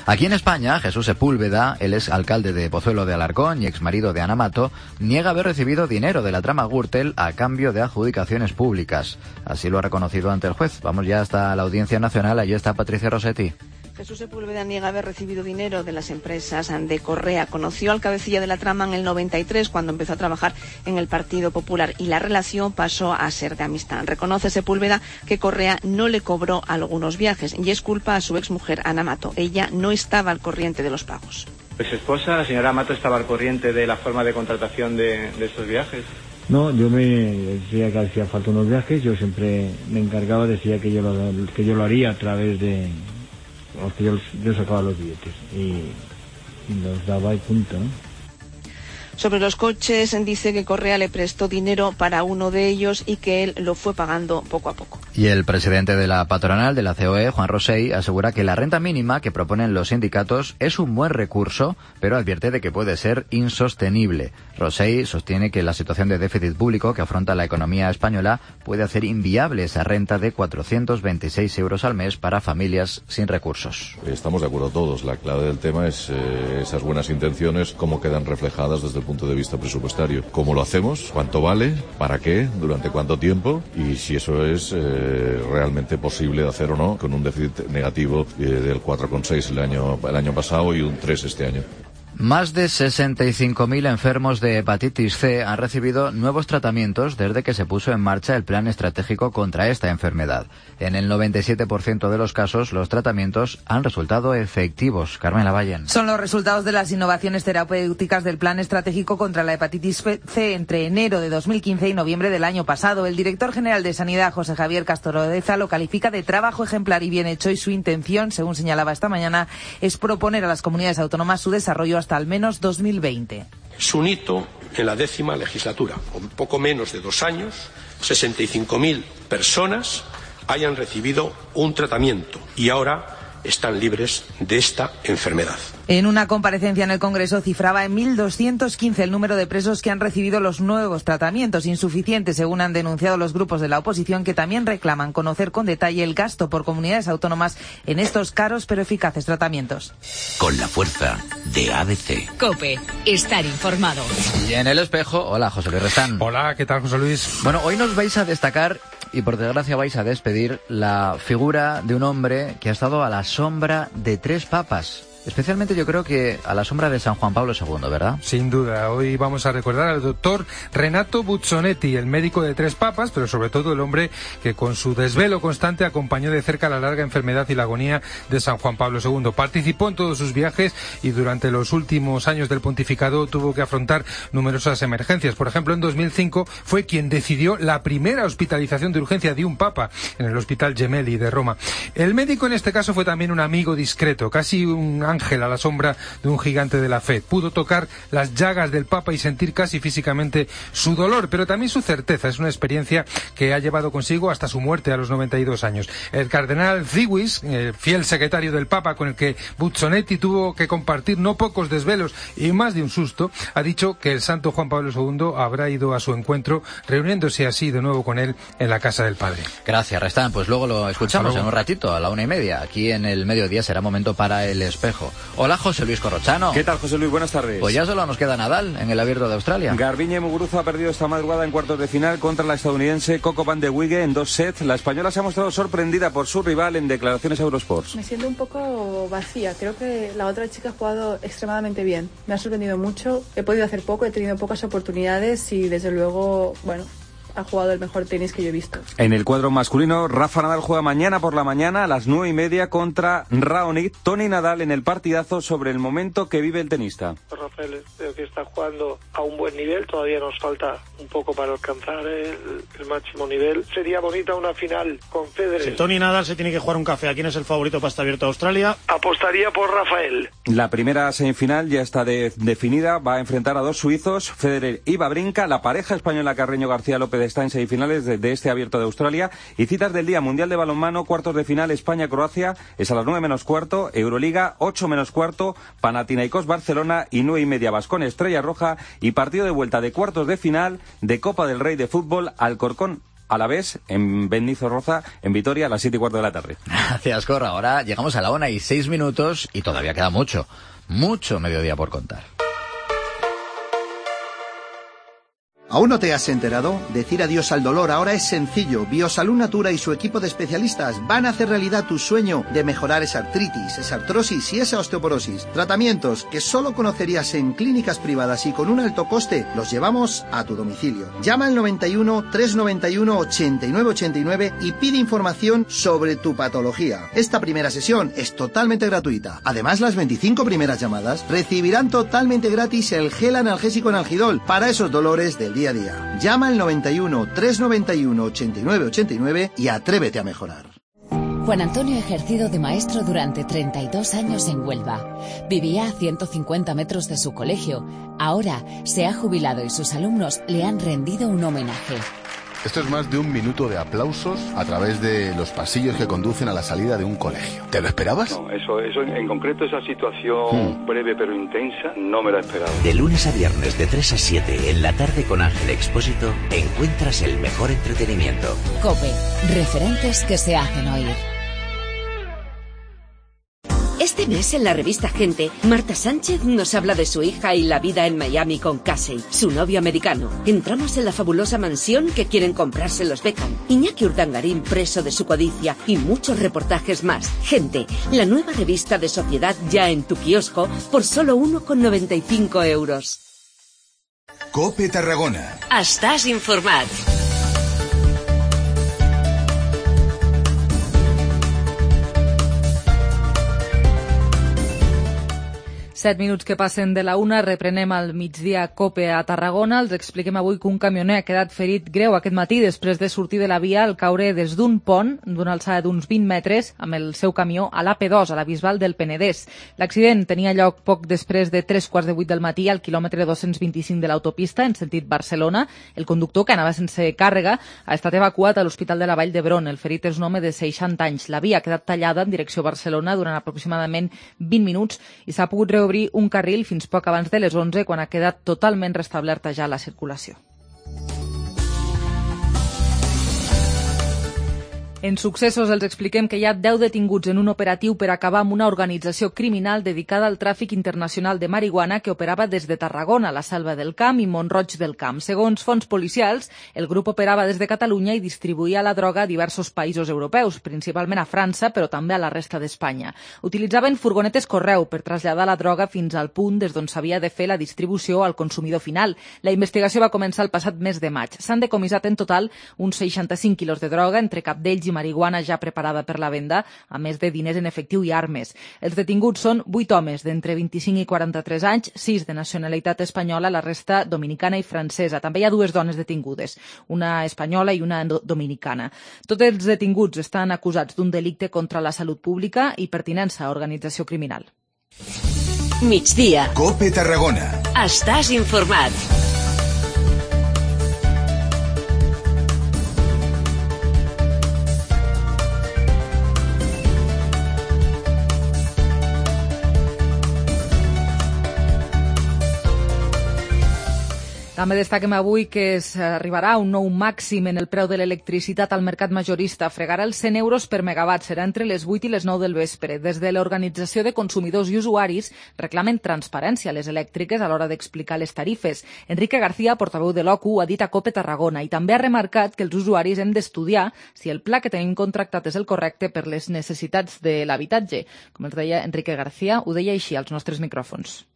Aquí en España, Jesús Sepúlveda, el ex alcalde de Pozuelo de Alarcón y exmarido de Ana Mato, niega haber recibido dinero de la trama Gürtel a cambio de adjudicaciones públicas. Así lo ha reconocido ante el juez. Vamos ya hasta la Audiencia Nacional. Allí está Patricia Rossetti. Jesús Sepúlveda niega haber recibido dinero de las empresas de Correa. Conoció al cabecilla de la trama en el 93, cuando empezó a trabajar en el Partido Popular, y la relación pasó a ser de amistad. Reconoce Sepúlveda que Correa no le cobró algunos viajes y es culpa a su exmujer Ana Mato. Ella no estaba al corriente de los pagos. Pues su esposa, la señora Mato, estaba al corriente de la forma de contratación de estos viajes. No, yo me decía que hacía falta unos viajes, yo siempre me encargaba, decía que yo lo haría a través de... que yo sacaba los billetes y los daba y punto, ¿no? Sobre los coches, dice que Correa le prestó dinero para uno de ellos y que él lo fue pagando poco a poco. Y el presidente de la patronal de la COE, Juan Rosell, asegura que la renta mínima que proponen los sindicatos es un buen recurso, pero advierte de que puede ser insostenible. Rosell sostiene que la situación de déficit público que afronta la economía española puede hacer inviable esa renta de 426 euros al mes para familias sin recursos. Estamos de acuerdo todos. La clave del tema es esas buenas intenciones, cómo quedan reflejadas desde el punto de vista presupuestario. ¿Cómo lo hacemos? ¿Cuánto vale? ¿Para qué? ¿Durante cuánto tiempo? Y si eso es realmente posible de hacer o no, con un déficit negativo del 4,6 el año pasado y un 3 este año. Más de 65.000 enfermos de hepatitis C han recibido nuevos tratamientos desde que se puso en marcha el plan estratégico contra esta enfermedad. En el 97% de los casos, los tratamientos han resultado efectivos. Carmen Lavallen. Son los resultados de las innovaciones terapéuticas del plan estratégico contra la hepatitis C entre enero de 2015 y noviembre del año pasado. El director general de Sanidad, José Javier Castorodeza, lo califica de trabajo ejemplar y bien hecho, y su intención, según señalaba esta mañana, es proponer a las comunidades autónomas su desarrollo hasta al menos 2020. Es un hito en la 10ª legislatura. Con poco menos de 2 años, 65.000 personas hayan recibido un tratamiento y ahora están libres de esta enfermedad. En una comparecencia en el Congreso cifraba en 1.215 el número de presos que han recibido los nuevos tratamientos, insuficientes según han denunciado los grupos de la oposición, que también reclaman conocer con detalle el gasto por comunidades autónomas en estos caros pero eficaces tratamientos. Con la fuerza de ABC. COPE, estar informado. Y en El Espejo, hola José Luis Restán. Hola, ¿qué tal José Luis? Bueno, hoy nos vais a destacar, y por desgracia vais a despedir, la figura de un hombre que ha estado a la sombra de 3 papas. Especialmente yo creo que a la sombra de San Juan Pablo II, ¿verdad? Sin duda. Hoy vamos a recordar al doctor Renato Buzzonetti, el médico de 3 papas, pero sobre todo el hombre que con su desvelo constante acompañó de cerca la larga enfermedad y la agonía de San Juan Pablo II. Participó en todos sus viajes y durante los últimos años del pontificado tuvo que afrontar numerosas emergencias. Por ejemplo, en 2005 fue quien decidió la primera hospitalización de urgencia de un papa en el Hospital Gemelli de Roma. El médico en este caso fue también un amigo discreto, casi un ángel a la sombra de un gigante de la fe. Pudo tocar las llagas del Papa y sentir casi físicamente su dolor, pero también su certeza. Es una experiencia que ha llevado consigo hasta su muerte a los 92 años. El cardenal Ziwis, el fiel secretario del Papa con el que Buzzonetti tuvo que compartir no pocos desvelos y más de un susto, ha dicho que el santo Juan Pablo II habrá ido a su encuentro, reuniéndose así de nuevo con él en la casa del Padre. Gracias, Restán. Pues luego lo escuchamos en un ratito, a la 1:30. Aquí en el mediodía será momento para El Espejo. Hola, José Luis Corrochano. ¿Qué tal, José Luis? Buenas tardes. Pues ya solo nos queda Nadal en el Abierto de Australia. Garbiñe Muguruza ha perdido esta madrugada en cuartos de final contra la estadounidense Coco van de Wigge en 2 sets. La española se ha mostrado sorprendida por su rival en declaraciones a Eurosports. Me siento un poco vacía. Creo que la otra chica ha jugado extremadamente bien. Me ha sorprendido mucho. He podido hacer poco, he tenido pocas oportunidades y desde luego, bueno, ha jugado el mejor tenis que yo he visto. En el cuadro masculino, Rafa Nadal juega mañana por la mañana a las 9:30 contra Raonic. Toni Nadal en el partidazo sobre el momento que vive el tenista. Rafael creo que está jugando a un buen nivel, todavía nos falta un poco para alcanzar el máximo nivel. Sería bonita una final con Federer. Si Toni Nadal se tiene que jugar un café, ¿a quién es el favorito para estar abierto a Australia? Apostaría por Rafael. La primera semifinal ya está definida, va a enfrentar a dos suizos, Federer y Wawrinka. La pareja española Carreño García López está en semifinales de este Abierto de Australia. Y citas del día: Mundial de Balonmano, cuartos de final España-Croacia, es a las 9:15, Euroliga 8:15, Panathinaikos Barcelona y 9:30 Baskonia Estrella Roja, y partido de vuelta de cuartos de final de Copa del Rey de fútbol, Alcorcón Alavés en Benizorroza, en Vitoria, a las 7:15 de la tarde. Gracias, Corra. Ahora llegamos a la 1:06 y todavía queda mucho mediodía por contar. ¿Aún no te has enterado? Decir adiós al dolor ahora es sencillo. Biosalud Natura y su equipo de especialistas van a hacer realidad tu sueño de mejorar esa artritis, esa artrosis y esa osteoporosis. Tratamientos que solo conocerías en clínicas privadas y con un alto coste, los llevamos a tu domicilio. Llama al 91 391 8989 y pide información sobre tu patología. Esta primera sesión es totalmente gratuita. Además, las 25 primeras llamadas recibirán totalmente gratis el gel analgésico Analgidol para esos dolores del día a día. Llama al 91 391 8989 y atrévete a mejorar. Juan Antonio ha ejercido de maestro durante 32 años en Huelva. Vivía a 150 metros de su colegio. Ahora se ha jubilado y sus alumnos le han rendido un homenaje. Esto es más de un minuto de aplausos a través de los pasillos que conducen a la salida de un colegio. ¿Te lo esperabas? No, eso en concreto, esa situación breve pero intensa, no me la esperaba. De lunes a viernes de 3 a 7 en la tarde con Ángel Expósito encuentras el mejor entretenimiento. COPE, referentes que se hacen oír. Este mes en la revista Gente, Marta Sánchez nos habla de su hija y la vida en Miami con Casey, su novio americano. Entramos en la fabulosa mansión que quieren comprarse los Beckham. Iñaki Urdangarín preso de su codicia y muchos reportajes más. Gente, la nueva revista de sociedad ya en tu kiosco por solo 1,95 €. COPE Tarragona. Estàs informat. 7 minuts que passen de la 1, reprenem al migdia COPE a Tarragona. Els expliquem avui que un camioner ha quedat ferit greu aquest matí després de sortir de la via al caure des d'un pont d'una alçada d'uns 20 metres amb el seu camió a l'AP2, a la Bisbal del Penedès. L'accident tenia lloc poc després de 7:45 del matí al quilòmetre 225 de l'autopista en sentit Barcelona. El conductor, que anava sense càrrega, ha estat evacuat a l'Hospital de la Vall d'Hebron. El ferit és un home de 60 anys. La via ha quedat tallada en direcció Barcelona durant aproximadament 20 minuts i s'ha pogut reobrir un carril fins poc abans de les 11, quan ha quedat totalment restablerta ja la circulació. En successos els expliquem que hi ha 10 detinguts en un operatiu per acabar amb una organització criminal dedicada al tràfic internacional de marihuana que operava des de Tarragona, la Selva del Camp i Mont-roig del Camp. Segons fonts policials, el grup operava des de Catalunya i distribuïa la droga a diversos països europeus, principalment a França, però també a la resta d'Espanya. Utilitzaven furgonetes correu per traslladar la droga fins al punt des d'on s'havia de fer la distribució al consumidor final. La investigació va començar el passat mes de maig. S'han decomissat en total uns 65 quilos de droga, entre cap d'ells i marihuana ja preparada per la venda, a més de diners en efectiu i armes. Els detinguts són 8 homes d'entre 25 i 43 anys, 6 de nacionalitat espanyola, la resta dominicana i francesa. També hi ha 2 dones detingudes, una espanyola i una dominicana. Tots els detinguts estan acusats d'un delicte contra la salut pública i pertinença a organització criminal. Migdia. COPE Tarragona. Estàs informat. També destaquem avui que s'arribarà un nou màxim en el preu de l'electricitat al mercat majorista. Fregarà els 100 euros per megawatt. Serà entre les 8 i les 9 del vespre. Des de l'Organització de Consumidors i Usuaris reclamen transparència a les elèctriques a l'hora d'explicar les tarifes. Enrique García, portaveu de l'OCU, ha dit a COPE Tarragona i també ha remarcat que els usuaris hem d'estudiar si el pla que tenim contractat és el correcte per les necessitats de l'habitatge. Com els deia Enrique García, ho deia així als nostres micròfons.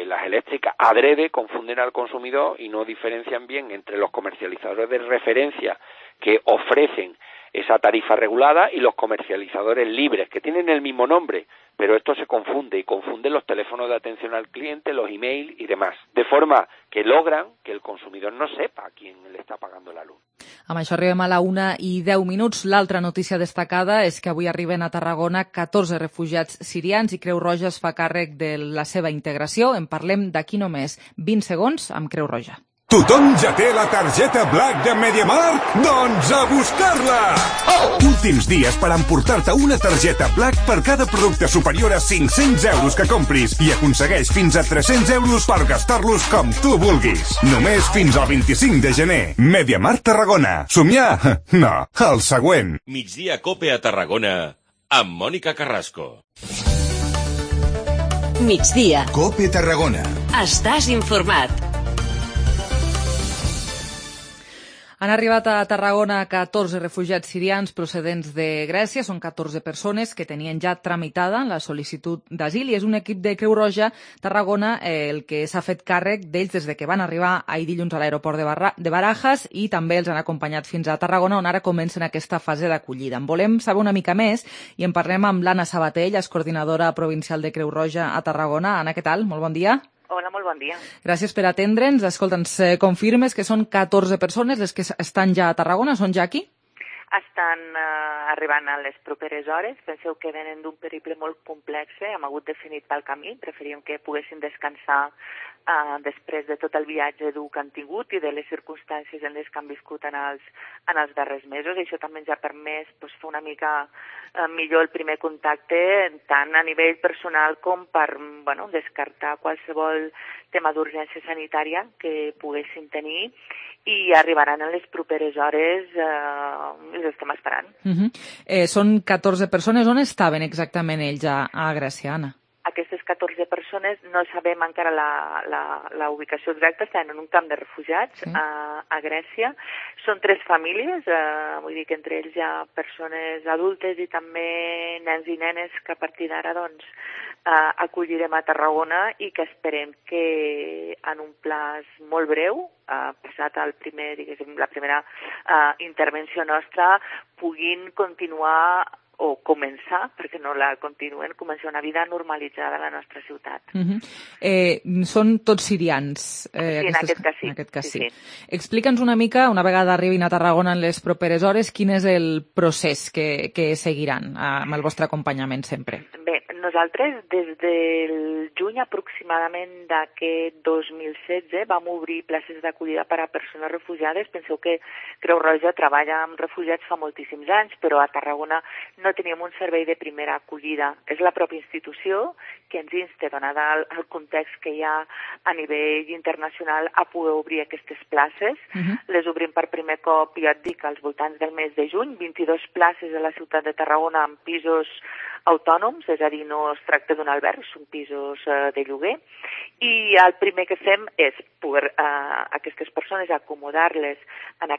Las eléctricas. Adrede confunden al consumidor y no diferencian bien entre los comercializadores de referencia que ofrecen esa tarifa regulada y los comercializadores libres, que tienen el mismo nombre, pero esto se confunde y confunden los teléfonos de atención al cliente, los emails y demás, de forma que logran que el consumidor no sepa a quién le està pagando la luz. Amb això arribem a la 1:10. L'altra notícia destacada és que avui arriben a Tarragona 14 refugiats sirians i Creu Roja es fa càrrec de la seva integració. En parlem d'aquí només 20 segons amb Creu Roja. Tothom ja té la targeta Black de MediaMarkt? Doncs a buscar-la! Últims dies per emportar-te una targeta Black per cada producte superior a 500 euros que compris i aconsegueix fins a 300 euros per gastar-los com tu vulguis. Només fins al 25 de gener. MediaMarkt Tarragona. Somiar? No, el següent. Migdia Cope a Tarragona amb Mònica Carrasco. Migdia. Cope Tarragona. Estàs informat. Han arribat a Tarragona 14 refugiats sirians procedents de Grècia. Són 14 persones que tenien ja tramitada la sol·licitud d'asil i és un equip de Creu Roja Tarragona el que s'ha fet càrrec d'ells des de que van arribar ahir dilluns a l'aeroport de Barajas i també els han acompanyat fins a Tarragona, on ara comencen aquesta fase d'acollida. En volem saber una mica més i en parlem amb l'Anna Sabatell, és coordinadora provincial de Creu Roja a Tarragona. Anna, què tal? Molt bon dia. Hola, molt bon dia. Gràcies per atendre'ns. Escolta, ens confirmes que són 14 persones les que estan ja a Tarragona? Són ja aquí? Estan arribant a les properes hores. Penseu que venen d'un periple molt complex, hem hagut definit pel camí. Preferíem que poguessin descansar després de tot el viatge dur que han tingut i de les circumstàncies en les que han viscut en els darrers mesos. I això també ens ha permès fer una mica millor el primer contacte, tant a nivell personal com per descartar qualsevol tema d'urgència sanitària que poguessin tenir, i arribaran en les properes hores i els estem esperant. Són 14 persones. On estaven exactament ells a Grècia, Anna? Aquestes 14 persones no sabem encara la ubicació exacta, estan en un camp de refugiats a Grècia. Són 3 famílies, vull dir que entre ells hi ha persones adultes i també nens i nenes que a partir d'ara acollirem a Tarragona i que esperem que en un plaç molt breu, passat la primera intervenció nostra, puguin continuar o començar, perquè no la continuen, començar una vida normalitzada a la nostra ciutat. Són tots sirians. Sí, en aquest cas sí. Explica'ns una mica, una vegada arribin a Tarragona en les properes hores, quin és el procés que seguiran amb el vostre acompanyament sempre? Bé, nosaltres des del juny aproximadament d'aquest 2016 vam obrir places d'acollida per a persones refugiades. Penseu que Creu Roja treballa amb refugiats fa moltíssims anys, però a Tarragona no teníem un servei de primera acollida. És la pròpia institució que ens insta, donada el context que hi ha a nivell internacional, a poder obrir aquestes places. Les obrim per primer cop, ja et dic, als voltants del mes de juny, 22 places a la ciutat de Tarragona amb pisos autònoms, és a dir, no es tracta d'un alberg, són pisos de lloguer, i el primer que fem és poder aquestes persones acomodar-les en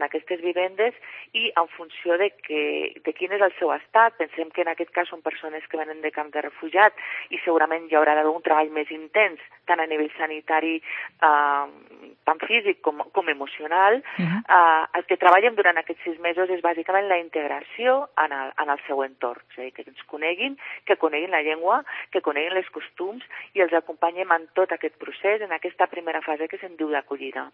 aquestes vivendes i en funció de quin és el seu estat. Pensem que en aquest cas són persones que venen de camp de refugiat i segurament hi haurà d'haver un treball més intens, tant a nivell sanitari, tant físic com emocional. El que treballem durant aquests 6 mesos és bàsicament la integració en el seu entorn, és a dir, que ens coneguin, que coneguin la llengua, que coneguin els costums i els acompanyem en tot aquest procés, en aquesta primera fase que se'n diu d'acollida.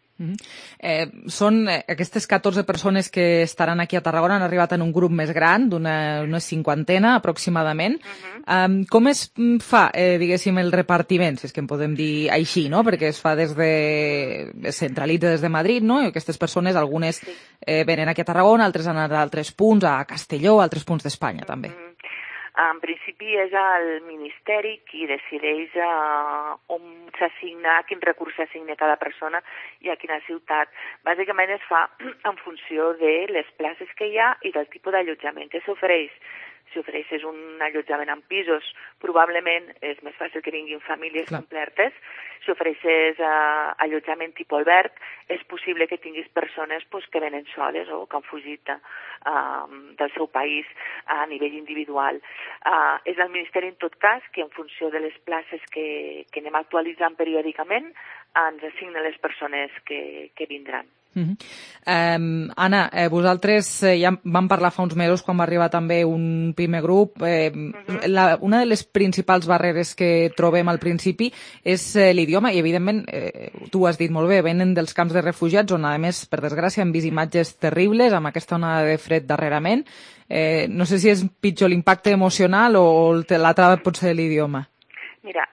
Són aquestes 14 persones que estaran aquí a Tarragona, han arribat en un grup més gran, d'una 50 aproximadament. Com es fa, diguéssim, el repartiment, si és que en podem dir així, no? Perquè es fa es centralitza des de Madrid, no? I aquestes persones, algunes venen aquí a Tarragona, altres han anat a altres punts, a Castelló, a altres punts d'Espanya també. En principi és el Ministeri qui decideix on s'assigna, quin recurs s'assigna a cada persona i a quina ciutat. Bàsicament es fa en funció de les places que hi ha i del tipus d'allotjament que s'ofereix. Si ofereixes un allotjament en pisos, probablement és més fàcil que vinguin famílies completes. Si ofereixes allotjament tipus alberg, és possible que tinguis persones que venen soles o que han fugit del seu país a nivell individual. És el Ministeri, en tot cas, que en funció de les places que anem actualitzant periòdicament, ens assigna les persones que vindran. Anna, vosaltres ja vam parlar fa uns mesos quan va arribar també un primer grup. Una de les principals barreres que trobem al principi és l'idioma i, evidentment, tu ho has dit molt bé, venen dels camps de refugiats on, a més, per desgràcia, hem vist imatges terribles amb aquesta onada de fred darrerament. No sé si és pitjor l'impacte emocional o la trava pot ser l'idioma. Mira,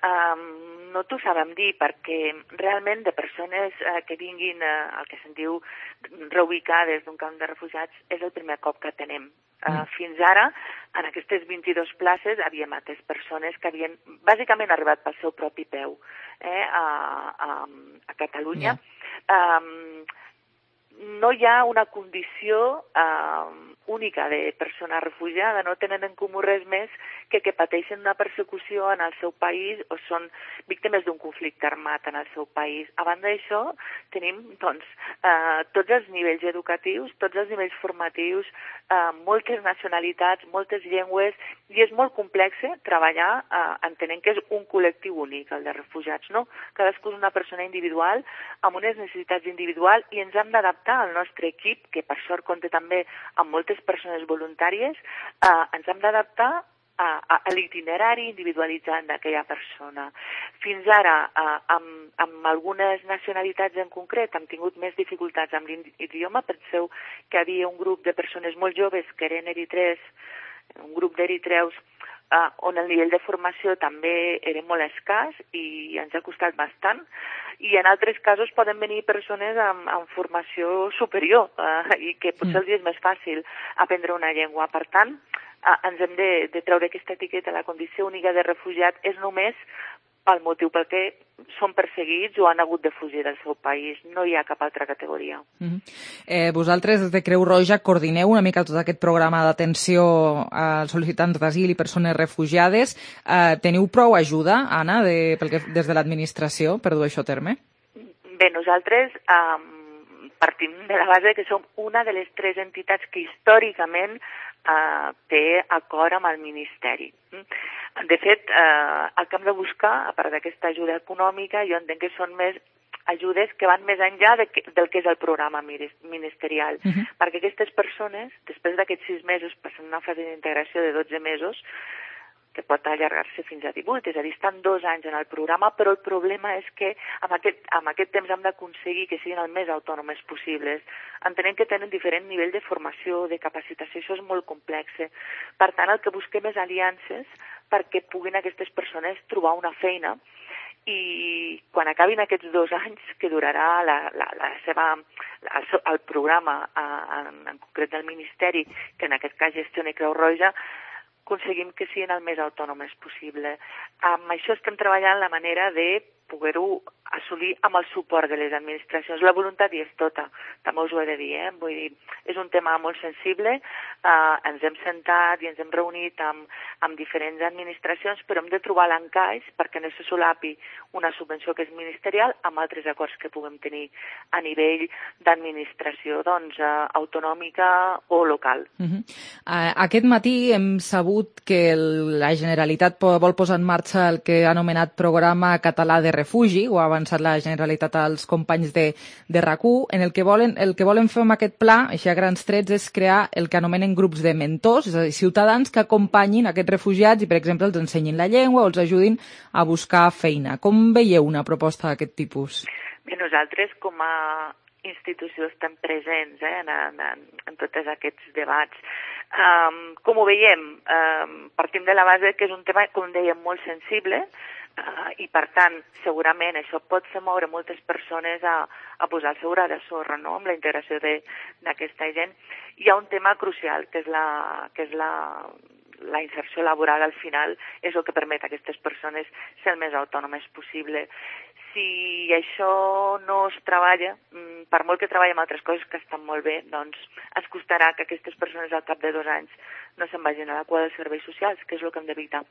no t'ho sabem dir, perquè realment de persones que vinguin, el que se'n diu, reubicades d'un camp de refugiats, és el primer cop que tenem. Fins ara, en aquestes 22 places, havíem atès persones que havien bàsicament arribat pel seu propi peu a Catalunya. No hi ha una condició única de persona refugiada, no tenen en comú res més que pateixen una persecució en el seu país o són víctimes d'un conflicte armat en el seu país. A banda d'això, tenim tots els nivells educatius, tots els nivells formatius, moltes nacionalitats, moltes llengües, i és molt complex treballar entenent que és un col·lectiu únic, el de refugiats, no? Cadascú és una persona individual, amb unes necessitats individuals, i ens hem d'adaptar al nostre equip, que per sort compta també amb moltes persones voluntàries, ens hem d'adaptar a l'itinerari individualitzat d'aquella persona. Fins ara, amb algunes nacionalitats en concret, hem tingut més dificultats amb l'idioma. Penseu que hi havia un grup de persones molt joves que eren eritreus, un grup d'eritreus, on el nivell de formació també era molt escàs i ens ha costat bastant. I en altres casos poden venir persones amb formació superior i que potser els és més fàcil aprendre una llengua. Per tant, ens hem de treure aquesta etiqueta. La condició única de refugiat és només pel motiu pel que són perseguits o han hagut de fugir del seu país. No hi ha cap altra categoria. Vosaltres, des de Creu Roja, coordineu una mica tot aquest programa d'atenció als sol·licitants d'asil i persones refugiades. Teniu prou ajuda, Anna, des de l'administració per dur això a terme? Bé, nosaltres partim de la base que som una de les 3 entitats que històricament té acord amb el Ministeri. De fet, el que hem de buscar, a part d'aquesta ajuda econòmica, jo entenc que són més ajudes que van més enllà del que és el programa ministerial. Perquè aquestes persones, després d'aquests 6 mesos, passen una fase d'integració de 12 mesos, que pot allargar-se fins a 18, és a dir, estan 2 anys en el programa, però el problema és que amb aquest temps hem d'aconseguir que siguin el més autònomes possibles. Entenem que tenen diferent nivell de formació, de capacitació, això és molt complex. Per tant, el que busquem és aliances perquè puguin aquestes persones trobar una feina i quan acabin aquests 2 anys, que durarà el programa, en concret del Ministeri, que en aquest cas gestiona Creu Roja, aconseguim que siguin el més autònomes possible. Amb això estem treballant la manera de poder-ho assolir amb el suport de les administracions. La voluntat hi és tota, també us ho he de dir, Vull dir, és un tema molt sensible, ens hem sentat i ens hem reunit amb diferents administracions, però hem de trobar l'encaix perquè no se solapi una subvenció que és ministerial amb altres acords que puguem tenir a nivell d'administració autonòmica o local. Aquest matí hem sabut que la Generalitat vol posar en marxa el que ha anomenat Programa Català de Refugi, ho ha avançat la Generalitat als companys de RAC1, en el que volen fer amb aquest pla, així a grans trets, és crear el que anomenen grups de mentors, és a dir, ciutadans que acompanyin aquests refugiats i, per exemple, els ensenyin la llengua o els ajudin a buscar feina. Com veieu una proposta d'aquest tipus? Bé, nosaltres com a institució estem presents en tots aquests debats. Com ho veiem? Partim de la base que és un tema, com dèiem, molt sensible, i per tant segurament això pot fer moure moltes persones a posar el seu gra de sorra, no?, amb la integració d'aquesta gent. Hi ha un tema crucial que és la inserció laboral. Al final és el que permet a aquestes persones ser el més autònomes possible. Si això no es treballa, per molt que treballem altres coses que estan molt bé, doncs ens costarà que aquestes persones al cap de 2 anys no se'n vagin a la cua dels serveis socials, que és el que hem d'evitar.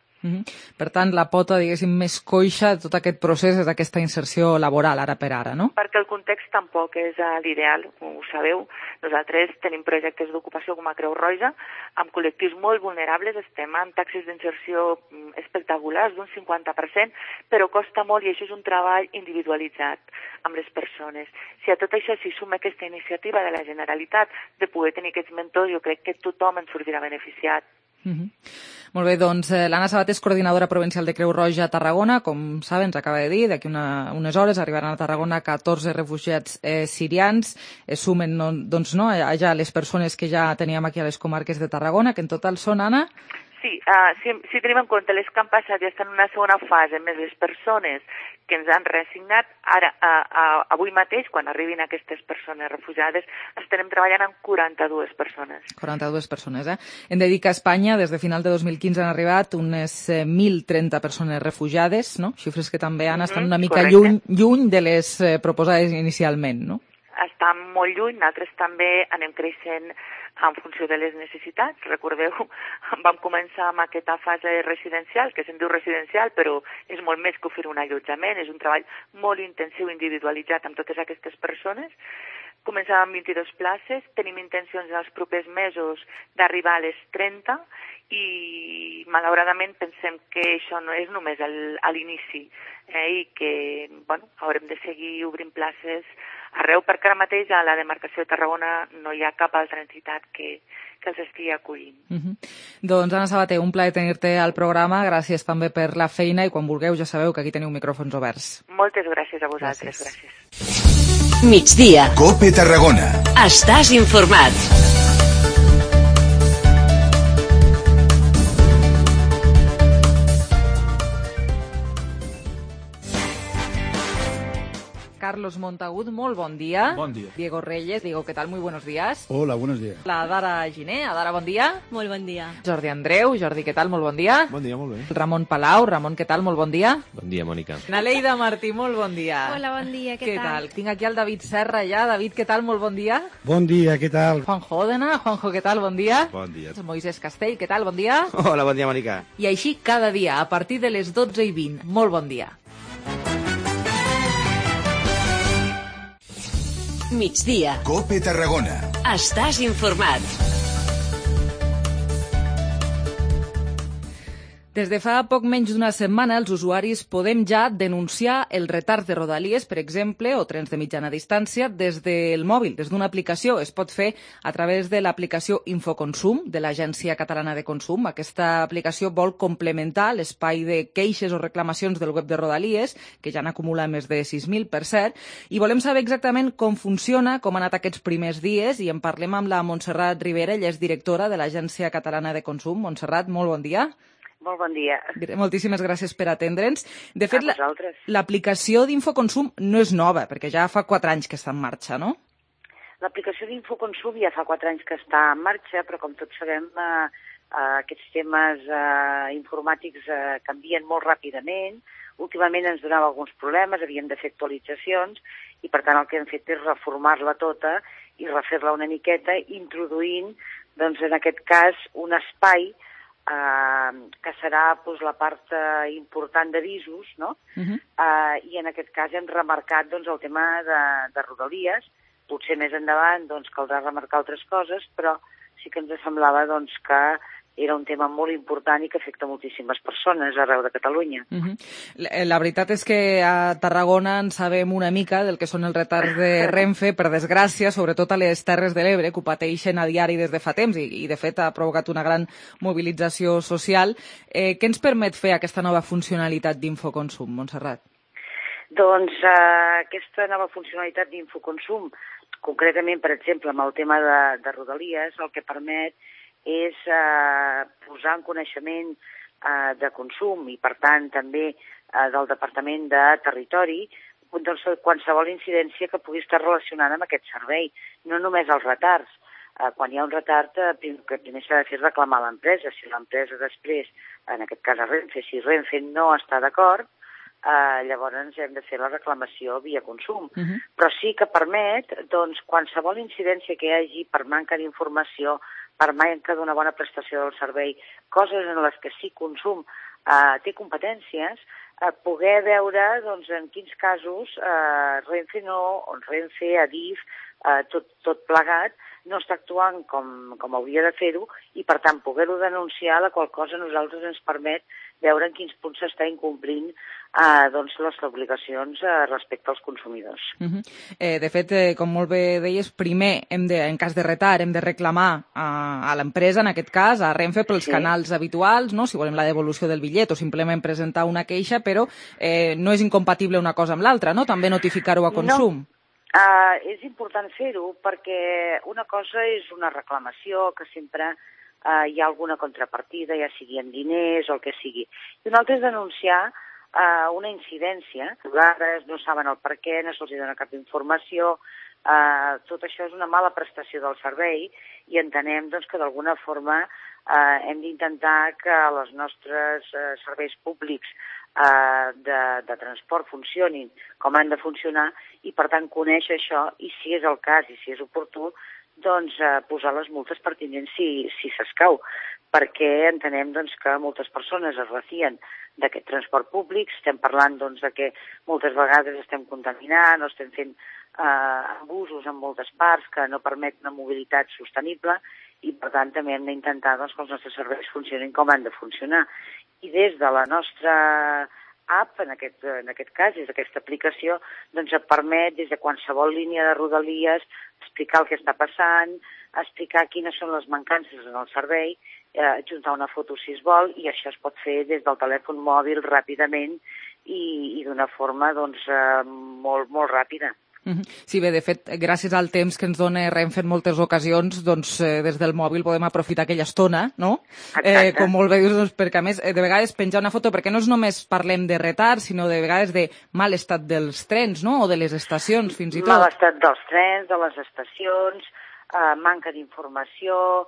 Per tant, la pota, diguéssim, més coixa de tot aquest procés és aquesta inserció laboral, ara per ara, no? Perquè el context tampoc és l'ideal, ho sabeu. Nosaltres tenim projectes d'ocupació com a Creu Roja, amb col·lectius molt vulnerables, estem amb taxes d'inserció espectaculars d'un 50%, però costa molt i això és un treball individualitzat amb les persones. Si a tot això s'hi suma aquesta iniciativa de la Generalitat de poder tenir aquests mentors, jo crec que tothom en sortirà beneficiat. Molt bé, doncs l'Anna Sabater és coordinadora provincial de Creu Roja a Tarragona. Com saben, ens acaba de dir, d'aquí unes hores arribaran a Tarragona 14 refugiats sirians. Sumen allà les persones que ja teníem aquí a les comarques de Tarragona, que en total són, Anna? Sí, si tenim en compte les que han passat ja estan en una segona fase, més les persones que ens han reassignat, ara, avui mateix, quan arribin aquestes persones refugiades, estarem treballant amb 42 persones. 42 persones, eh? Hem de dir que a Espanya, des de final de 2015, han arribat unes 1.030 persones refugiades, no? Xifres que també estan una mica lluny de les proposades inicialment, no? Estan molt lluny, nosaltres també anem creixent en funció de les necessitats. Recordeu, vam començar amb aquesta fase residencial, que se'n diu residencial, però és molt més que oferir un allotjament, és un treball molt intensiu, individualitzat amb totes aquestes persones. Començàvem amb 22 places, tenim intencions en els propers mesos d'arribar a les 30 i malauradament pensem que això no és només a l'inici i que haurem de seguir obrint places arreu, perquè ara mateix a la demarcació de Tarragona no hi ha cap altra entitat que els estigui acollint. Doncs Anna Sabater, un plaer tenir-te al programa, gràcies també per la feina i quan vulgueu ja sabeu que aquí teniu micròfons oberts. Moltes gràcies a vosaltres, gràcies. Migdia. COPE Tarragona. Estàs informat. Carlos Montagut, molt bon dia. Bon dia. Diego Reyes, Diego, ¿qué tal? Muy buenos días. Hola, buenos días. La Dara Giné, Adara, bon dia. Molt bon dia. Jordi Andreu, Jordi, ¿qué tal? Molt bon dia. Bon dia, molt bé. Ramon Palau, Ramon, ¿qué tal? Molt bon dia. Bon dia, Mònica. Naleida Martí, molt bon dia. Hola, bon dia, què tal? Tinc aquí el David Serra ja. David, ¿qué tal? Molt bon dia. Bon dia, què tal? Juanjo Òdena, Juanjo, ¿qué tal? Bon dia. Bon dia. Moisés Castell, ¿qué tal? Bon dia. Hola, bon dia, Mònica. I així cada dia, a partir de les 12:20. Molt bon dia. Migdia. COPE Tarragona. Estàs informat. Des de fa poc menys d'una setmana, els usuaris podem ja denunciar el retard de Rodalies, per exemple, o trens de mitjana distància, des del mòbil, des d'una aplicació. Es pot fer a través de l'aplicació Infoconsum, de l'Agència Catalana de Consum. Aquesta aplicació vol complementar l'espai de queixes o reclamacions del web de Rodalies, que ja n'acumula més de 6.000, per cert, i volem saber exactament com funciona, com han anat aquests primers dies, i en parlem amb la Montserrat Rivera, ella és directora de l'Agència Catalana de Consum. Montserrat, molt bon dia. Molt bon dia. Moltíssimes gràcies per atendre'ns. De fet, l'aplicació d'Infoconsum no és nova, perquè ja fa 4 anys que està en marxa, no? L'aplicació d'Infoconsum ja fa 4 anys que està en marxa, però com tots sabem, aquests temes informàtics canvien molt ràpidament. Últimament ens donava alguns problemes, havíem de fer actualitzacions, i per tant el que hem fet és reformar-la tota i refer-la una miqueta, introduint, doncs, en aquest cas, un espai que serà la part important d'avisos, no? I en aquest cas hem remarcat el tema de Rodalies. Potser més endavant caldrà remarcar altres coses, però sí que ens semblava que era un tema molt important i que afecta moltíssimes persones arreu de Catalunya. La veritat és que a Tarragona en sabem una mica del que són els retards de Renfe, per desgràcia, sobretot a les Terres de l'Ebre, que ho pateixen a diari des de fa temps i de fet ha provocat una gran mobilització social. Què ens permet fer aquesta nova funcionalitat d'Infoconsum, Montserrat? Doncs aquesta nova funcionalitat d'Infoconsum, concretament, per exemple, amb el tema de Rodalies, el que permet és posar en coneixement de consum i, per tant, també del Departament de Territori qualsevol incidència que pugui estar relacionada amb aquest servei, no només els retards. Quan hi ha un retard, el que primer s'ha de fer és reclamar a l'empresa. Si l'empresa després, en aquest cas a Renfe, si Renfe no està d'acord, llavors hem de fer la reclamació via consum. Però sí que permet, doncs, qualsevol incidència que hi hagi per manca d'informació, per manca d'una bona prestació del servei, coses en les que sí consum té competències, poder veure doncs, en quins casos Renfe, Adif, tot plegat, no està actuant com hauria de fer-ho i, per tant, poder-ho denunciar, la qual cosa a nosaltres ens permet veure en quins punts s'està incomplint les obligacions respecte als consumidors. De fet, com molt bé deies, primer, en cas de retard, hem de reclamar a l'empresa, en aquest cas, a Renfe, pels canals habituals, no? Si volem la devolució del bitllet o simplement presentar una queixa, però no és incompatible una cosa amb l'altra, no? També notificar-ho a consum. No. És important fer-ho perquè una cosa és una reclamació que sempre hi ha alguna contrapartida, ja sigui en diners o el que sigui. I una altra és denunciar una incidència. A vegades no saben el per què, no se'ls dona cap informació. Tot això és una mala prestació del servei i entenem doncs, que d'alguna forma hem d'intentar que els nostres serveis públics de transport funcionin com han de funcionar i, per tant, conèixer això i, si és el cas i si és oportú, doncs posar les multes pertinents si s'escau, perquè entenem doncs, que moltes persones es refien d'aquest transport públic. Estem parlant doncs, de que moltes vegades estem contaminant o estem fent abusos en moltes parts que no permet una mobilitat sostenible i, per tant, també hem d'intentar doncs, que els nostres serveis funcionin com han de funcionar. I des de la nostra app, en aquest cas, des d'aquesta aplicació, doncs et permet, des de qualsevol línia de Rodalies, explicar el que està passant, explicar quines són les mancances en el servei, adjuntar una foto si es vol, i això es pot fer des del telèfon mòbil ràpidament i d'una forma doncs, molt, molt ràpida. Sí, bé, de fet, gràcies al temps que ens dona Renfe en moltes ocasions, doncs des del mòbil podem aprofitar aquella estona, no? Com molt bé dius, doncs, perquè a més, de vegades penjar una foto, perquè no és només parlem de retard, sinó de vegades de mal estat dels trens, no? O de les estacions, fins i tot. Mal estat dels trens, de les estacions, manca d'informació,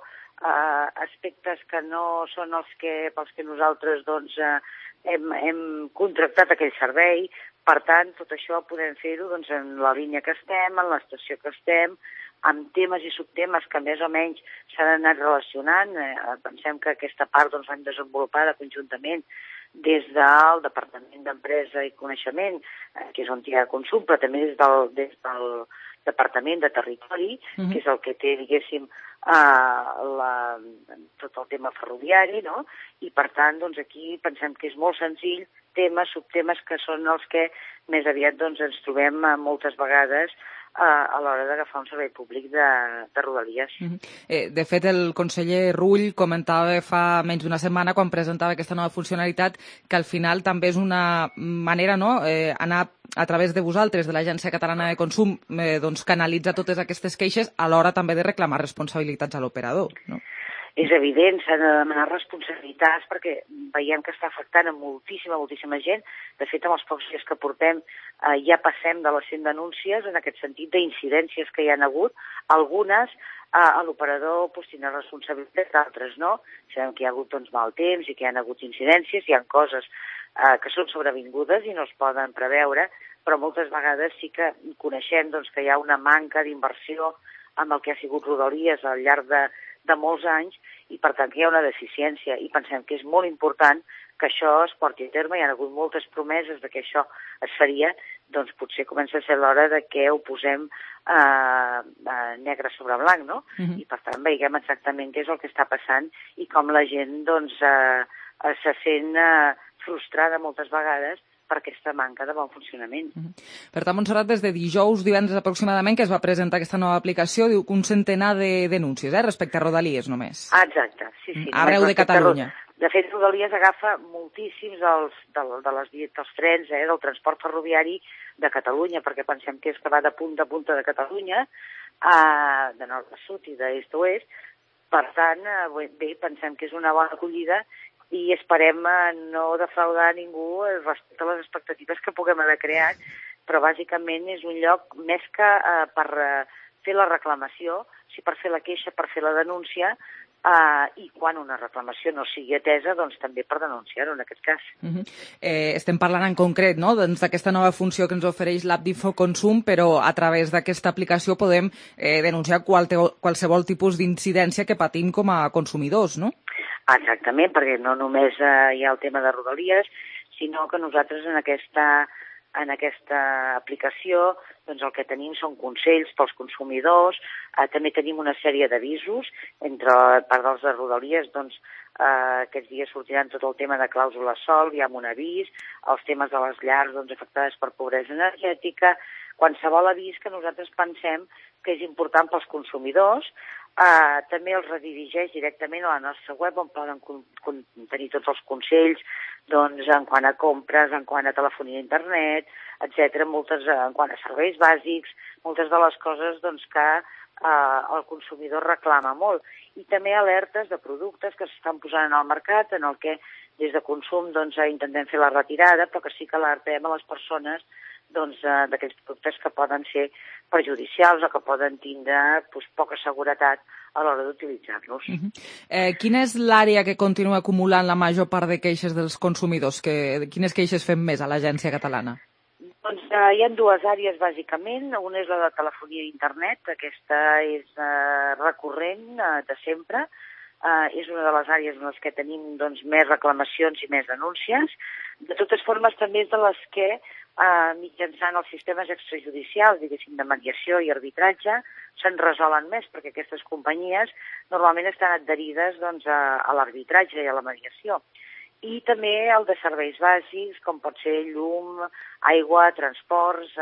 aspectes que no són pels que nosaltres doncs, hem contractat aquell servei. Per tant, tot això podem fer-ho doncs, en la línia que estem, en l'estació que estem, amb temes i subtemes que més o menys s'han anat relacionant. Pensem que aquesta part doncs, l'hem desenvolupada conjuntament des del Departament d'Empresa i Coneixement, que és on hi ha consum, però també des del Departament de Territori, que és el que té, diguéssim, tot el tema ferroviari, no? I per tant, doncs, aquí pensem que és molt senzill, temes, subtemes que són els que més aviat doncs, ens trobem moltes vegades a l'hora d'agafar un servei públic de Rodalies. De fet, el conseller Rull comentava fa menys d'una setmana, quan presentava aquesta nova funcionalitat, que al final també és una manera, no?, anar a través de vosaltres, de l'Agència Catalana de Consum, doncs canalitzar totes aquestes queixes a l'hora també de reclamar responsabilitats a l'operador, no? És evident, s'han de demanar responsabilitats perquè veiem que està afectant a moltíssima gent. De fet, amb els pocs dies que portem ja passem de les 100 denúncies en aquest sentit d'incidències que hi ha hagut. Algunes a l'operador tindrà responsabilitat, d'altres no. Sabem que hi ha hagut doncs, mal temps i que hi ha hagut incidències, hi ha coses que són sobrevingudes i no es poden preveure, però moltes vegades sí que coneixem doncs, que hi ha una manca d'inversió amb el que ha sigut Rodalies al llarg de molts anys i, per tant, que hi ha una deficiència i pensem que és molt important que això es porti a terme. Hi ha hagut moltes promeses de que això es faria, doncs potser comença a ser l'hora de que ho posem negre sobre blanc, no? I, per tant, veiem exactament què és el que està passant i com la gent doncs, se sent frustrada moltes vegades per aquesta manca de bon funcionament. Per tant, Montserrat, des de divendres aproximadament, que es va presentar aquesta nova aplicació, diu que un centenar de denúncies, respecte a Rodalies només. Exacte, sí. Arreu de Catalunya. De fet, Rodalies agafa moltíssims dels trens, del transport ferroviari de Catalunya, perquè pensem que és que va de punta a punta de Catalunya, de nord a sud i d'est a oest. Per tant, bé, pensem que és una bona acollida i esperem no defraudar ningú respecte a les expectatives que puguem haver creat, però bàsicament és un lloc més que per fer la reclamació, sí per fer la queixa, per fer la denúncia, i quan una reclamació no sigui atesa, doncs també per denunciar-ho en aquest cas. Estem parlant en concret, no?, d'aquesta nova funció que ens ofereix l'app d'Infoconsum, però a través d'aquesta aplicació podem denunciar qualsevol tipus d'incidència que patim com a consumidors, no? Exactament, perquè no només hi ha el tema de Rodalies, sinó que nosaltres en aquesta aplicació doncs el que tenim són consells pels consumidors, també tenim una sèrie d'avisos, entre part dels de Rodalies, doncs aquests dies sortiran tot el tema de clàusula sol, hi ha un avís, els temes de les llars doncs, afectades per pobresa energètica, qualsevol avís que nosaltres pensem que és important pels consumidors, també els redirigeix directament a la nostra web on poden tenir tots els consells doncs, en quant a compres, en quant a telefonia a internet, etc., en quant a serveis bàsics, moltes de les coses doncs, que el consumidor reclama molt. I també alertes de productes que s'estan posant al mercat, en el que des de consum doncs, intentem fer la retirada, però que sí que alertem a les persones d'aquells productes que poden ser perjudicials o que poden tindre poca seguretat a l'hora d'utilitzar-los. Quina és l'àrea que continua acumulant la major part de queixes dels consumidors? Quines queixes fem més a l'Agència Catalana? Doncs hi ha dues àrees, bàsicament. Una és la de telefonia i internet. Aquesta és recurrent de sempre. És una de les àrees en les que tenim més reclamacions i més denúncies. De totes formes, també és de les que mitjançant els sistemes extrajudicials, diguéssim, de mediació i arbitratge, se'n resolen més, perquè aquestes companyies normalment estan adherides a l'arbitratge i a la mediació. I també el de serveis bàsics, com pot ser llum, aigua, transports,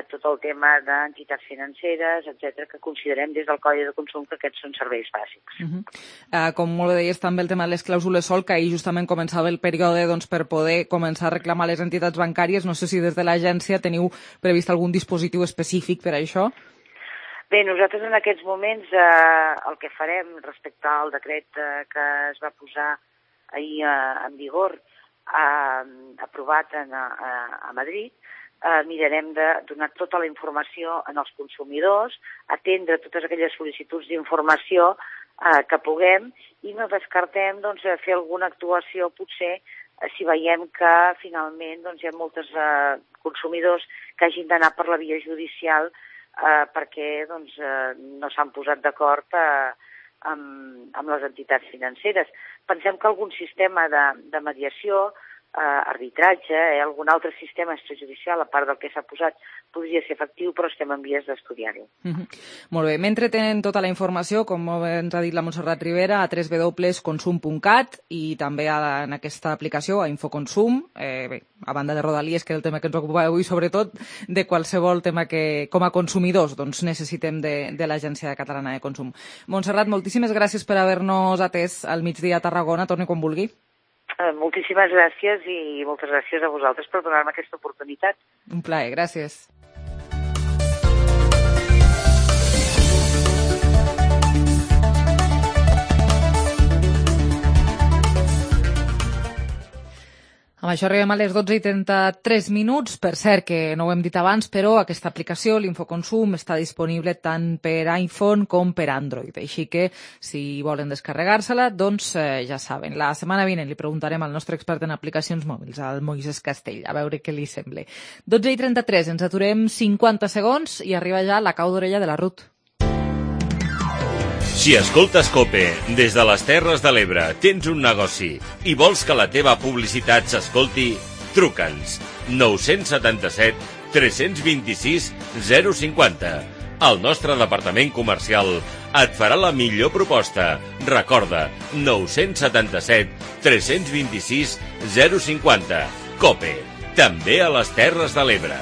tot el tema d'entitats financeres, etc., que considerem des del Codi de Consum que aquests són serveis bàsics. Com molt bé deies, també el tema de les clàusules sol, que ahir justament començava el període per poder començar a reclamar les entitats bancàries. No sé si des de l'agència teniu previst algun dispositiu específic per a això? Bé, nosaltres en aquests moments el que farem respecte al decret que es va posar ahir en vigor, aprovat a Madrid, mirarem de donar tota la informació als consumidors, atendre totes aquelles sol·licituds d'informació que puguem i no descartem fer alguna actuació potser si veiem que finalment hi ha molts consumidors que hagin d'anar per la via judicial perquè no s'han posat d'acord amb les entitats financeres. Pensem que algun sistema de mediació, arbitratge, algun altre sistema extrajudicial, a part del que s'ha posat, podria ser efectiu, però estem en vies d'estudiar-ho. Molt bé. Mentre tenen tota la informació, com ens ha dit la Montserrat Rivera, a www.consum.cat i també en aquesta aplicació, a Infoconsum, a banda de Rodalies, que és el tema que ens ocupa avui, sobretot de qualsevol tema que, com a consumidors, necessitem de l'Agència Catalana de Consum. Montserrat, moltíssimes gràcies per haver-nos atès al migdia a Tarragona. Torni quan vulgui. Moltíssimes gràcies i moltes gràcies a vosaltres per donar-me aquesta oportunitat. Un plaer, gràcies. Amb això arribem a les 12:33. Per cert, que no ho hem dit abans, però aquesta aplicació, l'Infoconsum, està disponible tant per iPhone com per Android. Així que, si volen descarregar-se-la, doncs ja saben. La setmana vinent li preguntarem al nostre expert en aplicacions mòbils, al Moisés Castell, a veure què li sembla. 12:33, ens aturem 50 segons i arriba ja la cau d'orella de la Ruth. Si escoltes COPE des de les Terres de l'Ebre, tens un negoci i vols que la teva publicitat s'escolti, truca'ns 977 326 050. El nostre departament comercial et farà la millor proposta. Recorda, 977 326 050. COPE, també a les Terres de l'Ebre.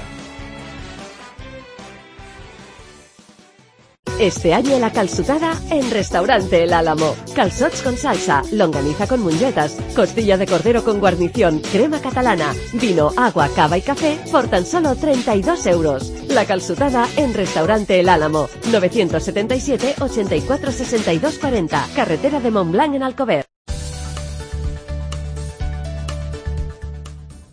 Este año la calçotada en Restaurante El Álamo. Calzots con salsa, longaniza con munyetas, costilla de cordero con guarnición, crema catalana, vino, agua, cava y café por tan solo 32 euros. La calçotada en Restaurante El Álamo. 977 84 62 40. Carretera de Montblanc en Alcover.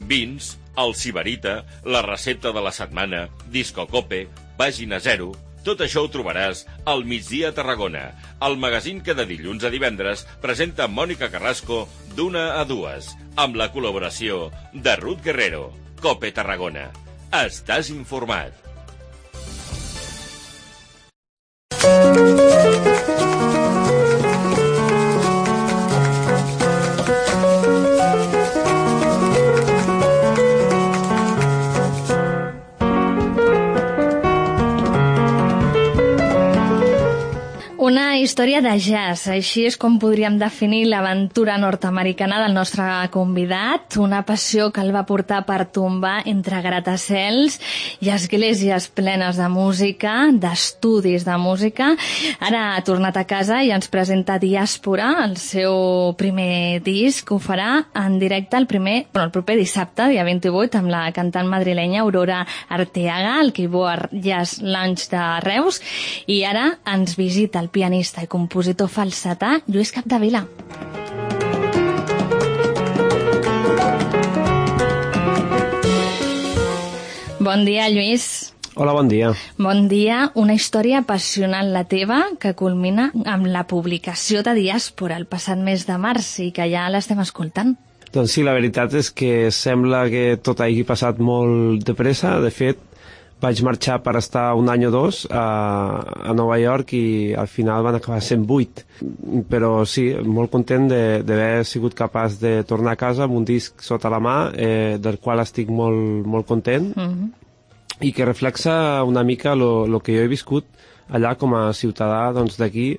Vins, el Sibarita, la recepta de la setmana, Disco Cope, Pàgina 0... Tot això ho trobaràs al Migdia a Tarragona, el magazín que de dilluns a divendres presenta Mònica Carrasco d'1 a 2, amb la col·laboració de Ruth Guerrero. COPE Tarragona. Estàs informat. Una història de jazz, així és com podríem definir l'aventura nord-americana del nostre convidat, una passió que el va portar per tombar entre gratacels i esglésies plenes de música, d'estudis de música. Ara ha tornat a casa i ens presenta Diàspora, el seu primer disc. Ho farà en directe el proper dissabte, dia 28, amb la cantant madrilenya Aurora Arteaga, al Keyboard Jazz Lounge de Reus, i ara ens visita el pianista i compositor falsetà Lluís Capdevila. Bon dia, Lluís. Hola, bon dia. Bon dia. Una història apassionant la teva que culmina amb la publicació de Diàspora el passat mes de març i que ja l'estem escoltant. Doncs sí, la veritat és que sembla que tot hagi passat molt de pressa. De fet, vaig marxar per estar un any o dos a Nova York i al final van acabar sent 8. Però sí, molt content d'haver sigut capaç de tornar a casa amb un disc sota la mà, del qual estic molt, molt content, i que reflexa una mica el que jo he viscut allà com a ciutadà d'aquí,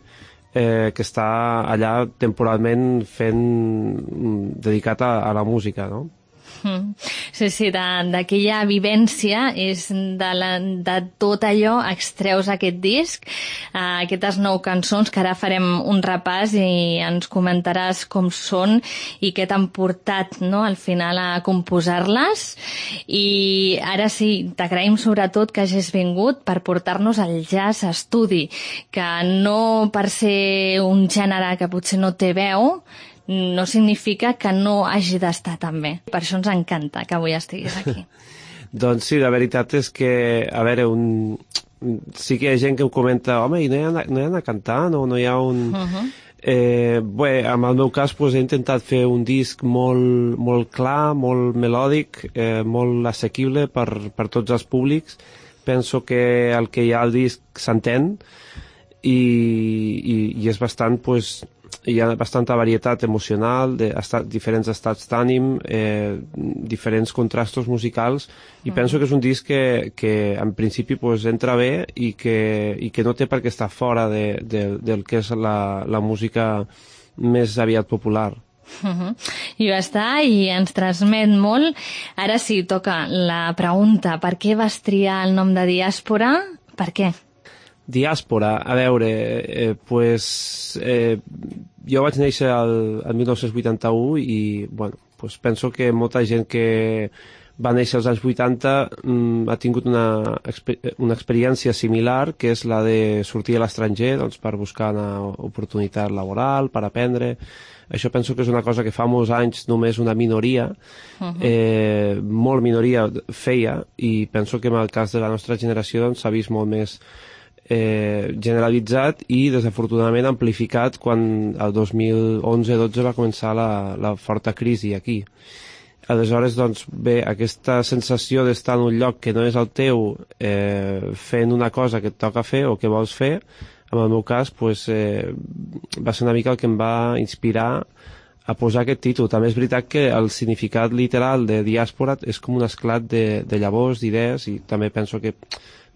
que està allà temporalment dedicat a la música, no? Sí, d'aquella vivència és de tot allò extreus aquest disc, aquestes 9 cançons que ara farem un repàs i ens comentaràs com són i què t'han portat, no, al final a composar-les. I ara sí, t'agraïm sobretot que hagis vingut per portar-nos al jazz estudi, que no per ser un gènere que potser no té veu no significa que no hagi d'estar tan bé. Per això ens encanta que avui estiguis aquí. Doncs sí, la veritat és que, a veure, sí que hi ha gent que em comenta, home, i no hi ha d'anar a cantar, no hi ha un... Bé, en el meu cas he intentat fer un disc molt clar, molt melòdic, molt assequible per tots els públics. Penso que el que hi ha al disc s'entén i és bastant, hi ha bastanta varietat emocional, diferents estats d'ànim, diferents contrastos musicals, i penso que és un disc que en principi entra bé i que no té per què estar fora del que és la música més aviat popular. I va estar i ens transmet molt. Ara sí, toca la pregunta, per què vas triar el nom de Diàspora? Per què? Diàspora, a veure, jo vaig néixer el 1981 i penso que molta gent que va néixer als anys 80 ha tingut una experiència similar, que és la de sortir a l'estranger per buscar una oportunitat laboral, per aprendre. Això penso que és una cosa que fa molts anys només una minoria, molt minoria feia, i penso que en el cas de la nostra generació s'ha vist molt més generalitzat i desafortunadament amplificat quan el 2011-12 va començar la forta crisi aquí. Aleshores, bé, aquesta sensació d'estar en un lloc que no és el teu, fent una cosa que et toca fer o que vols fer, en el meu cas, va ser una mica el que em va inspirar a posar aquest títol. També és veritat que el significat literal de diàspora és com un esclat de llavors, d'idees, i també penso que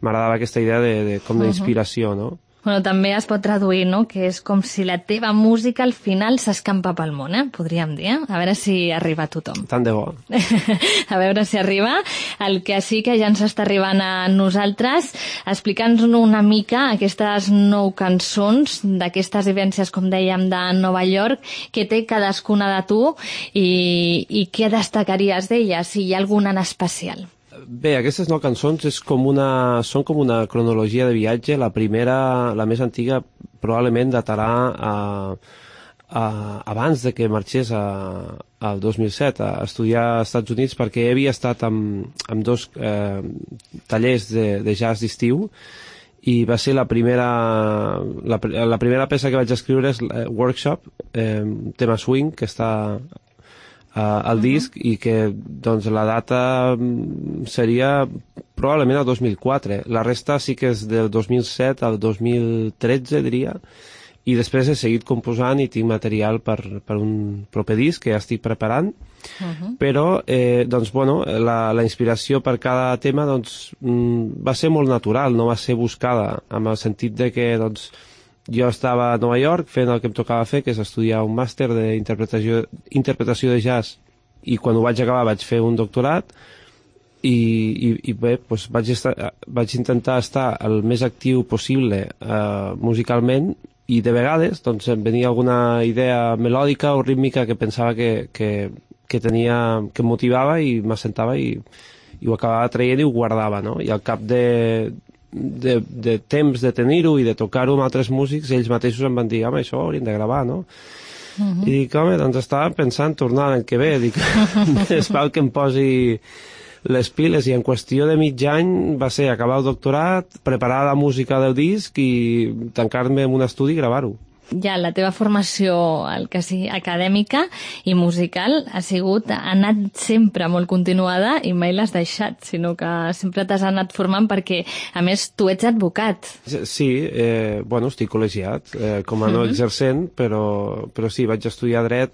m'agradava aquesta idea com d'inspiració, no? Bueno, també es pot traduir, no?, que és com si la teva música al final s'escampa pel món, podríem dir, A veure si arriba a tothom. Tant de bo. A veure si arriba. El que sí que ja ens està arribant a nosaltres, explica'ns una mica aquestes 9 cançons d'aquestes vivències, com dèiem, de Nova York, que té cadascuna de tu i què destacaries d'elles, si hi ha alguna en especial. Bé, aquestes 9 cançons són com una cronologia de viatge. La primera, la més antiga, probablement datarà abans de que marxés al 2007 a estudiar als Estats Units, perquè havia estat amb 2 tallers de jazz d'estiu i va ser la primera peça que vaig escriure és Workshop, tema swing, que està al disc, i que doncs la data seria probablement el 2004. La resta sí que és del 2007 al 2013, diria, i després he seguit composant i tinc material per un proper disc que ja estic preparant. Però doncs, bueno, la inspiració per cada tema doncs, va ser molt natural, no va ser buscada, en el sentit de que doncs, jo estava a Nova York fent el que em tocava fer, que és estudiar un màster d'interpretació de jazz, i quan ho vaig acabar vaig fer un doctorat, i bé, doncs vaig intentar estar el més actiu possible musicalment, i de vegades doncs, em venia alguna idea melòdica o rítmica que pensava que em motivava i m'assentava i ho acabava traient i ho guardava, no? I al cap de temps de tenir-ho i de tocar-ho amb altres músics, ells mateixos em van dir, home, això ho hauríem de gravar, no? I dic, home, doncs estava pensant tornar l'any que ve, dic, més val que em posi les piles, i en qüestió de mig any va ser acabar el doctorat, preparar la música del disc i tancar-me en un estudi i gravar-ho. Ja, la teva formació, el que sigui acadèmica i musical, ha anat sempre molt continuada i mai l'has deixat, sinó que sempre t'has anat formant perquè, a més, tu ets advocat. Sí, bueno, estic col·legiat, com a no exercent, però sí, vaig estudiar dret.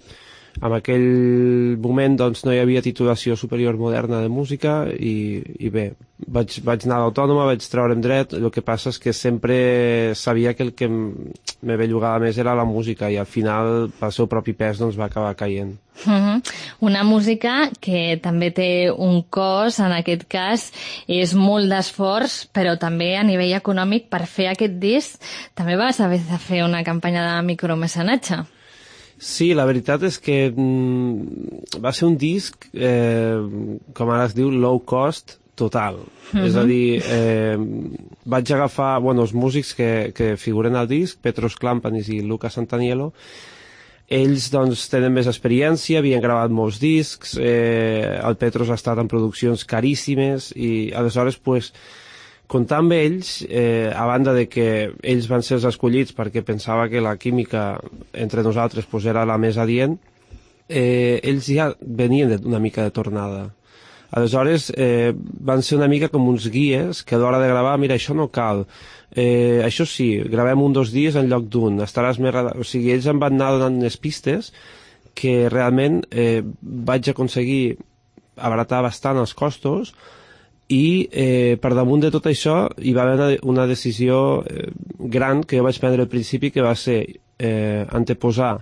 En aquell moment doncs, no hi havia titulació superior moderna de música i bé, vaig anar a l'Autònoma, vaig treure'm dret. El que passa és que sempre sabia que el que me bellugava més era la música i al final, pel seu propi pes, doncs, va acabar caient. Una música que també té un cost, en aquest cas és molt d'esforç, però també a nivell econòmic. Per fer aquest disc també vas haver de fer una campanya de micromecenatge. Sí, la veritat és que va ser un disc, com ara es diu, low cost total. És a dir, vaig agafar els músics que figuren al disc, Petros Klampanis i Lucas Santanielo. Ells doncs, tenen més experiència, havien gravat molts discs, el Petros ha estat en produccions caríssimes i aleshores pues, comptar amb ells, a banda de que ells van ser els escollits perquè pensava que la química entre nosaltres pues, era la més adient, ells ja venien una mica de tornada. Aleshores van ser una mica com uns guies que a l'hora de gravar, mira, això no cal, això sí, gravem 1 o 2 dies en lloc d'un, estaràs més... O sigui, ells em van anar donant unes pistes que realment vaig aconseguir abaratar bastant els costos. I per damunt de tot això hi va haver una decisió gran que jo vaig prendre al principi, que va ser anteposar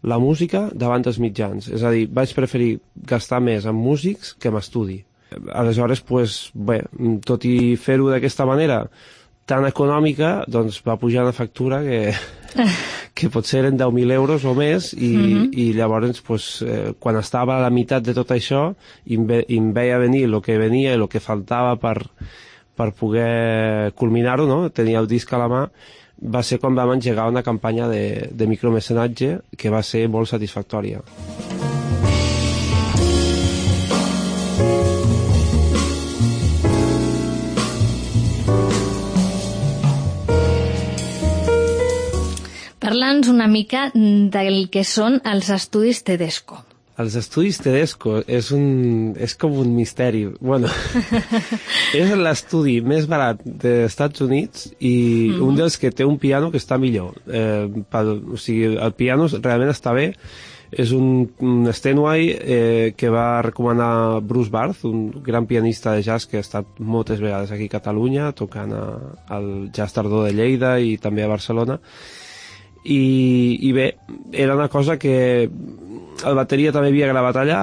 la música davant dels mitjans. És a dir, vaig preferir gastar més en músics que en estudi. Aleshores, pues, bé, tot i fer-ho d'aquesta manera tan econòmica, doncs va pujar una factura que potser eren 10.000 euros o més i llavors pues, quan estava a la meitat de tot això i em veia venir el que venia i el que faltava per poder culminar-ho, no? Tenia el disc a la mà, va ser quan vam engegar una campanya de micromecenatge que va ser molt satisfactòria. Parla'ns una mica del que són els estudis Tedesco. Els estudis Tedesco és com un misteri. Bueno, és l'estudi més barat dels Estats Units i un dels que té un piano que està millor. O sigui, el piano realment està bé. És un Steinway que va recomanar Bruce Barth, un gran pianista de jazz que ha estat moltes vegades aquí a Catalunya, tocant al Jazz Tardor de Lleida i també a Barcelona. I bé, era una cosa que el bateria també havia gravat allà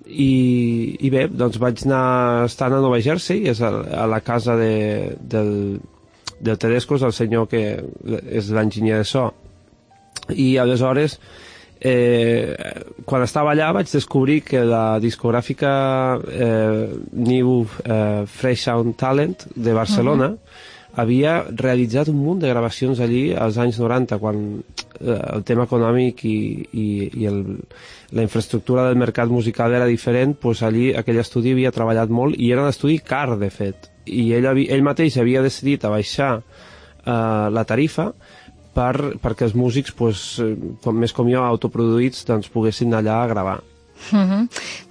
i bé, doncs vaig anar estant a Nova Jersey, és a la casa del Tedesco, és el senyor que és l'enginyer de so, i aleshores quan estava allà vaig descobrir que la discogràfica New Fresh Sound Talent de Barcelona havia realitzat un munt de gravacions allí als anys 90, quan el tema econòmic i la infraestructura del mercat musical era diferent, doncs allí aquell estudi havia treballat molt i era un estudi car, de fet. I ell mateix havia decidit abaixar la tarifa perquè els músics, més com jo, autoproduïts, poguessin allà a gravar.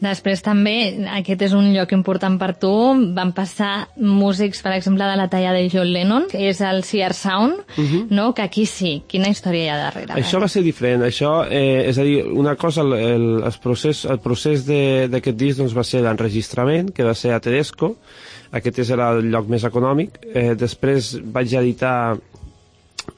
Després també, aquest és un lloc important per tu, van passar músics, per exemple, de la talla de John Lennon, que és el Sear Sound, no? Que aquí sí. Quina història hi ha darrere? Això va ser diferent. Això, és a dir, una cosa, el procés d'aquest disc va ser l'enregistrament, que va ser a Tedesco. Aquest era el lloc més econòmic. Després vaig editar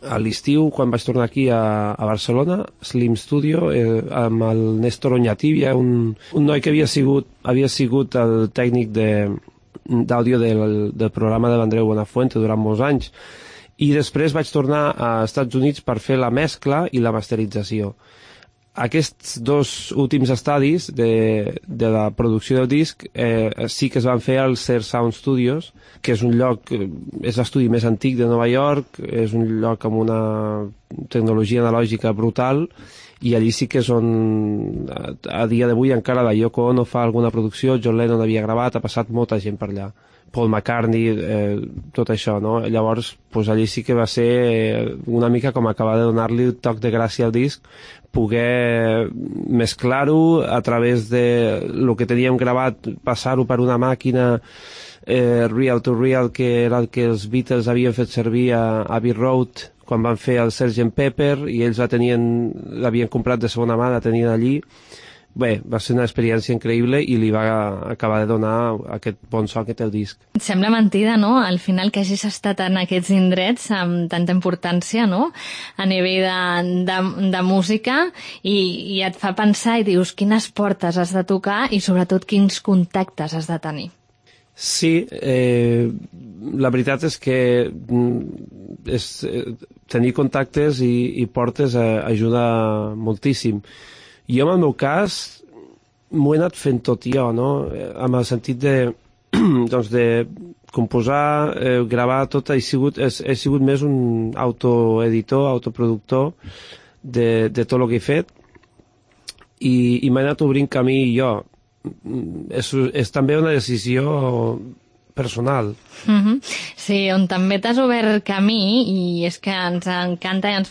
a l'estiu, quan vaig tornar aquí a Barcelona, Slim Studio, amb el Néstor Oñati, un noi que havia sigut el tècnic d'àudio del programa de l'Andreu Buenafuente durant molts anys, i després vaig tornar als Estats Units per fer la mescla i la masterització. Aquests dos últims estadis de la producció del disc sí que es van fer al Sear Sound Studios, que és un lloc, és l'estudi més antic de Nova York, és un lloc amb una tecnologia analògica brutal, i allí sí que és on a dia d'avui encara la Yoko Ono fa alguna producció, John Lennon havia gravat, ha passat molta gent per allà, Paul McCartney, tot això, no? Llavors, allí sí que va ser una mica com acabar de donar-li el toc de gràcia al disc, poder mesclar-ho a través de lo que teníem gravat, passar-ho per una màquina real to real, que era el que els Beatles havien fet servir a Abbey Road quan van fer el Sgt. Pepper, i ells l'havien comprat de segona mà, la tenien allí. Bé, va ser una experiència increïble i li va acabar de donar aquest bon so que té el disc. Et sembla mentida, no?, al final que hagis estat en aquests indrets amb tanta importància, no?, a nivell de música, i et fa pensar i dius quines portes has de tocar i sobretot quins contactes has de tenir. Sí, la veritat és que tenir contactes i portes ajuda moltíssim. Jo, en el meu cas, m'ho he anat fent tot jo, no?, amb el sentit de composar, gravar tot, he sigut més un autoeditor, autoproductor de tot el que he fet, i m'he anat obrint camí jo. És també una decisió personal. Sí, on també t'has obert camí, i és que ens encanta i ens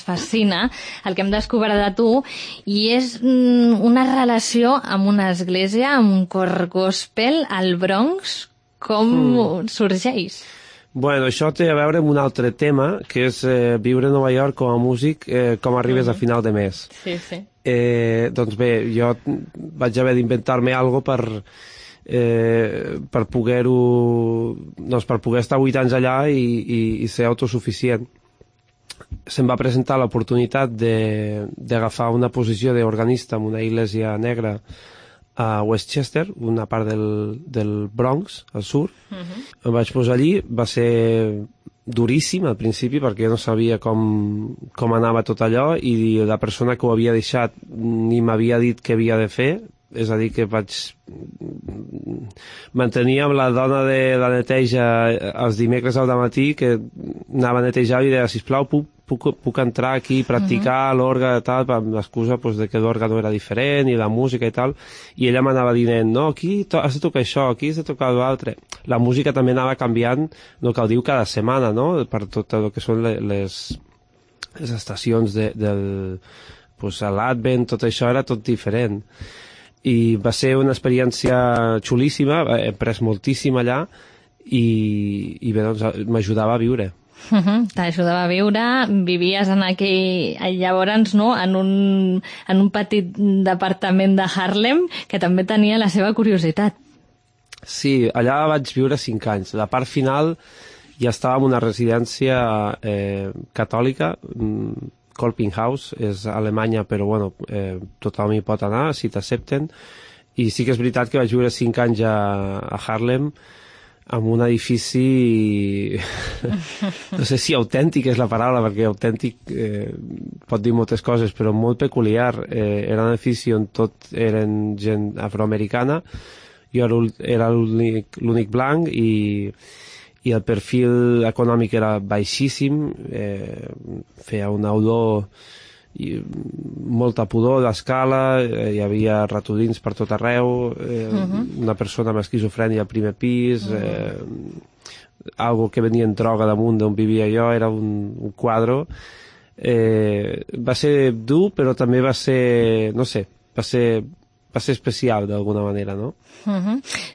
fascina el que hem descobert de tu, i és una relació amb una església, amb un cor gospel al Bronx. Com sorgeix? Bueno, això té a veure amb un altre tema, que és viure a Nova York com a músic, com arribes a final de mes. Sí. Doncs bé, jo vaig haver d'inventar-me alguna cosa per poder estar 8 anys allà i ser autosuficient. Se'm va presentar l'oportunitat d'agafar una posició d'organista en una església negra a Westchester, una part del Bronx, al sud. Em vaig posar allí, va ser duríssim al principi perquè jo no sabia com anava tot allò, i la persona que ho havia deixat ni m'havia dit què havia de fer. És a dir, que mantenia amb la dona de la neteja els dimecres al matí, que anava a netejar i deia, sisplau, puc entrar aquí i practicar l'orga i tal, amb l'excusa de que l'orga no era diferent i la música i tal, i ella m'anava dient, no, aquí has de tocar això, aquí has de tocar l'altre. La música també anava canviant, el que el diu cada setmana, no?, per tot el que són les estacions l'Advent, tot això era tot diferent. I va ser una experiència xulíssima, he après moltíssim allà, i bé, doncs m'ajudava a viure. T'ajudava a viure, vivies en llavors, no?, en un petit departament de Harlem, que també tenia la seva curiositat. Sí, allà vaig viure 5 anys. La part final ja estava en una residència catòlica, Kolpinghaus, és a Alemanya, però bueno, tothom hi pot anar si t'accepten, i sí que és veritat que vaig viure 5 anys a Harlem, amb un edifici no sé si autèntic és la paraula, perquè autèntic pot dir moltes coses, però molt peculiar. Era un edifici on tot eren gent afroamericana, jo era l'únic blanc, i el perfil econòmic era baixíssim, feia una olor i molta pudor d'escala, hi havia ratolins per tot arreu, una persona amb esquizofrènia al primer pis, algo que venia en droga damunt d'on vivia jo, era un quadre. Va ser dur, però també va ser, no sé, va ser especial d'alguna manera, no?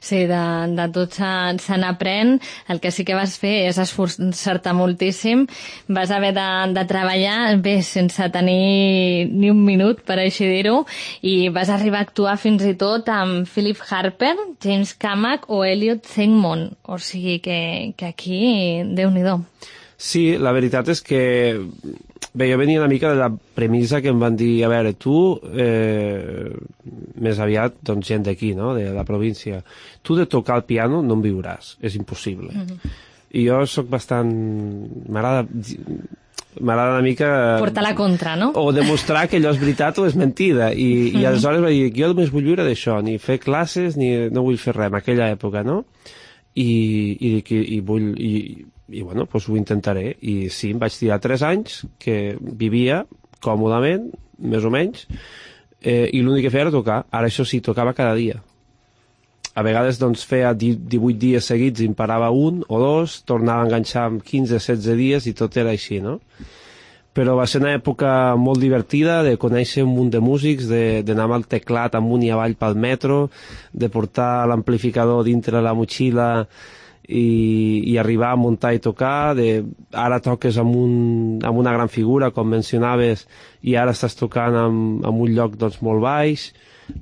Sí, de tot se n'aprèn. El que sí que vas fer és esforçar-te moltíssim. Vas haver de treballar bé sense tenir ni un minut, per així dir-ho, i vas arribar a actuar fins i tot amb Philip Harper, James Camac o Elliot Sigmund. O sigui que aquí, Déu-n'hi-do. Sí, la veritat és que bé, jo venia una mica de la premissa que em van dir, a veure, tu, més aviat, doncs, gent d'aquí, no?, de la província, tu de tocar el piano no en viuràs, és impossible. I jo sóc bastant... M'agrada una mica... Portar la contra, no? O demostrar que allò és veritat o és mentida. I aleshores vaig dir, jo només vull viure d'això, ni fer classes, ni no vull fer res en aquella època, no? I bueno, doncs ho intentaré. I sí, em vaig tirar 3 anys que vivia còmodament, més o menys, i l'únic que feia era tocar. Ara això sí, tocava cada dia. A vegades doncs feia 18 dies seguits i em parava 1 o 2, tornava a enganxar amb 15-16 dies i tot era així, no? Però va ser una època molt divertida de conèixer un munt de músics, d'anar amb el teclat amunt i avall pel metro, de portar l'amplificador dintre la motxilla i arribar a muntar i tocar, ara toques amb una gran figura, com mencionaves, i ara estàs tocant en un lloc doncs, molt baix.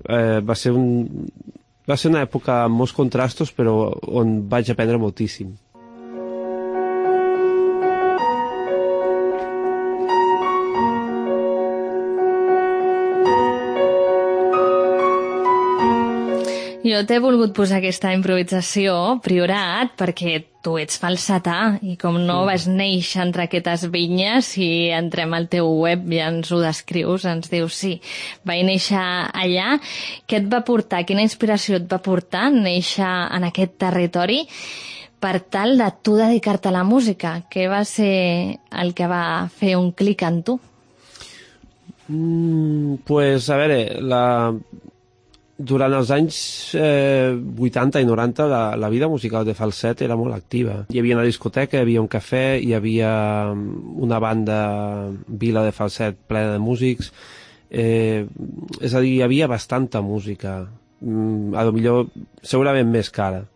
Va ser una època amb molts contrastos, però on vaig aprendre moltíssim. Jo t'he volgut posar aquesta improvisació, Priorat, perquè tu ets falsetà i com no vas néixer entre aquestes vinyes, si entrem al teu web ja ens ho descrius, ens dius sí, vaig néixer allà. Què et va portar, quina inspiració et va portar néixer en aquest territori per tal de tu dedicar-te a la música? Què va ser el que va fer un clic en tu? Pues, a veure, durant els anys 80 i 90 la vida musical de Falset era molt activa. Hi havia una discoteca, hi havia un cafè, hi havia una banda Vila de Falset plena de músics, és a dir, hi havia bastanta música, a lo millor segurament més cara.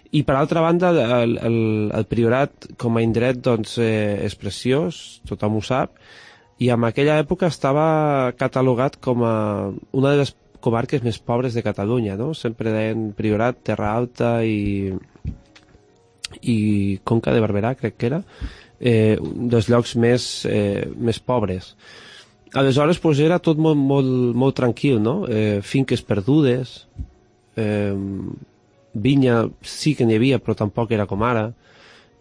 I per altra banda el Priorat com a indret doncs, és preciós, tothom ho sap, i en aquella època estava catalogat com a una de les comarques més pobres de Catalunya, no? Sempre deien Priorat, Terra Alta i Conca de Barberà, crec que era, dels llocs més pobres. Aleshores, doncs, era tot molt tranquil, no? Finques perdudes, vinya sí que n'hi havia, però tampoc era com ara,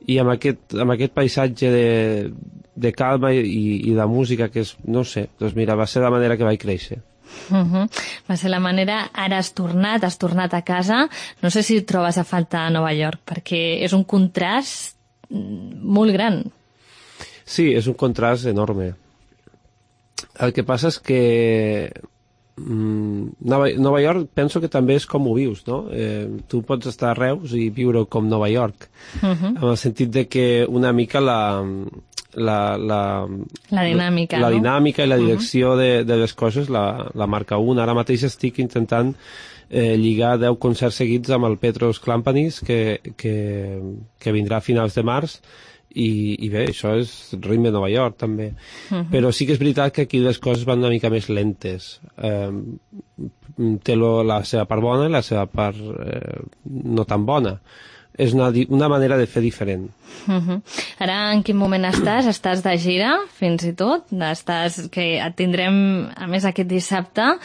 i amb aquest paisatge de calma i de música que és, no sé, doncs mira, va ser la manera que vaig créixer. Va ser la manera. Ara has tornat a casa. No sé si et trobes a faltar a Nova York, perquè és un contrast molt gran. Sí, és un contrast enorme. El que passa és que Nova York penso que també és com ho vius, no? Tu pots estar a Reus i viure com Nova York, en el sentit de que una mica la dinàmica, no? I la direcció de les coses la marca un. Ara mateix estic intentant lligar 10 concerts seguits amb el Petros Klampanis que vindrà a finals de març i bé, això és ritme de Nova York també, però sí que és veritat que aquí les coses van una mica més lentes. Té la seva part bona i la seva part no tan bona. És una manera de fer diferent. Ara en quin moment estàs? Estàs de gira, fins i tot? Que et tindrem, a més, aquest dissabte,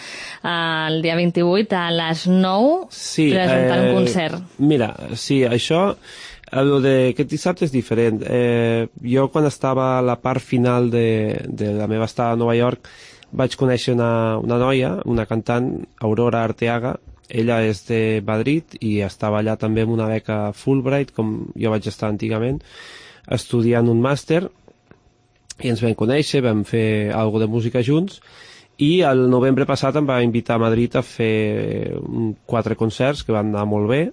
el dia 28, a les 9, presentant un concert. Mira, sí, això, aquest dissabte és diferent. Jo, quan estava a la part final de la meva estada a Nova York, vaig conèixer una noia, una cantant, Aurora Arteaga, Ella és de Madrid i estava allà també amb una beca Fulbright, com jo vaig estar antigament, estudiant un màster, i ens vam conèixer, vam fer alguna de música junts, i el novembre passat em va invitar a Madrid a fer 4 concerts que van anar molt bé,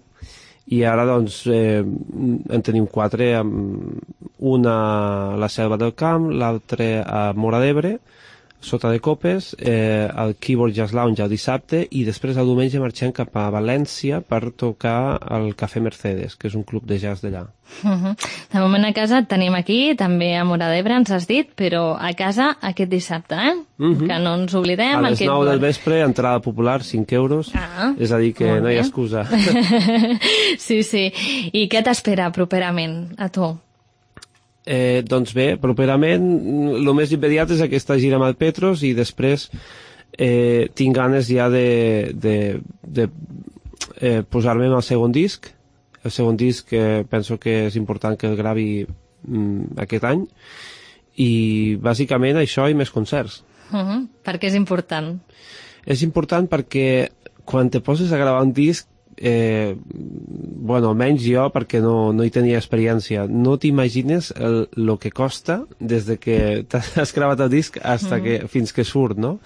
i ara doncs en tenim 4, una a la Selva del Camp, l'altre a Móra d'Ebre, sota de Copes, al Keyboard Jazz Lounge el dissabte, i després el diumenge marxem cap a València per tocar al Cafè Mercedes, que és un club de jazz d'allà. De moment a casa et tenim aquí, també a Móra d'Ebre ens has dit, però a casa aquest dissabte, que no ens oblidem. A les 9 del vespre, entrada popular, 5 euros, és a dir que no hi ha excusa. Sí. I què t'espera properament a tu? Doncs bé, properament el més immediat és aquesta gira amb el Petros, i després tinc ganes ja de posar-me en el segon disc. El segon disc penso que és important que el gravi aquest any, i bàsicament això i més concerts. Per què és important? És important perquè quan te poses a gravar un disc, almenys jo, perquè no hi tenia experiència, no t'imagines el que costa des de que t'has gravat el disc fins que surt, no?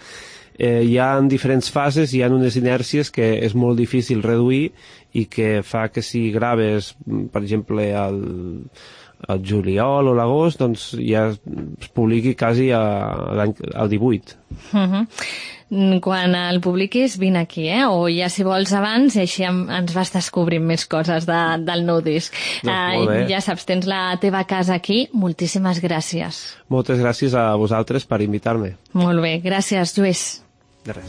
Hi ha diferents fases, hi ha unes inèrcies que és molt difícil reduir i que fa que si graves, per exemple, al juliol o l'agost, doncs ja es publiqui quasi al 18. Quan el publiquis, vine aquí, o ja si vols abans, i així ens vas descobrint més coses del nou disc. Ja saps, tens la teva casa aquí. Moltíssimes gràcies. Moltes gràcies a vosaltres per invitar-me. Molt bé, gràcies, Lluís. De res.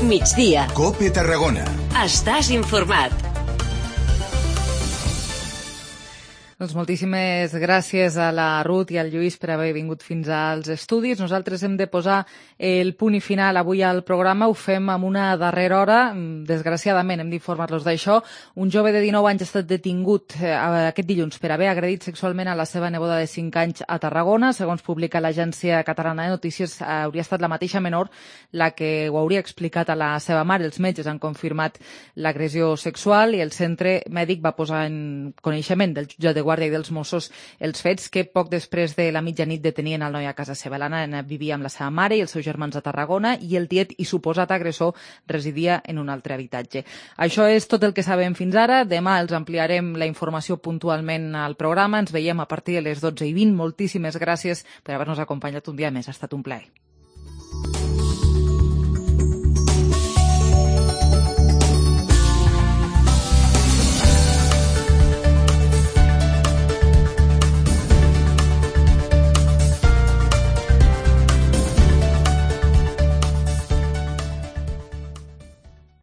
Migdia. COPE Tarragona. Estàs informat. Doncs moltíssimes gràcies a la Ruth i al Lluís per haver vingut fins als estudis. Nosaltres hem de posar el punt i final avui al programa. Ho fem amb una darrera hora. Desgraciadament hem d'informar-los d'això. Un jove de 19 anys ha estat detingut aquest dilluns per haver agredit sexualment a la seva neboda de 5 anys a Tarragona. Segons publica l'agència catalana de notícies, hauria estat la mateixa menor la que ho hauria explicat a la seva mare. Els metges han confirmat l'agressió sexual i el centre mèdic va posar en coneixement del jutjat de Guàrdia i dels Mossos els fets que poc després de la mitjanit detenien el noi a casa seva. La nena vivia amb la seva mare i els seus germans a Tarragona i el tiet i suposat agressor residia en un altre habitatge. Això és tot el que sabem fins ara. Demà els ampliarem la informació puntualment al programa. Ens veiem a partir de les 12:20. Moltíssimes gràcies per haver-nos acompanyat un dia més. Ha estat un plaer.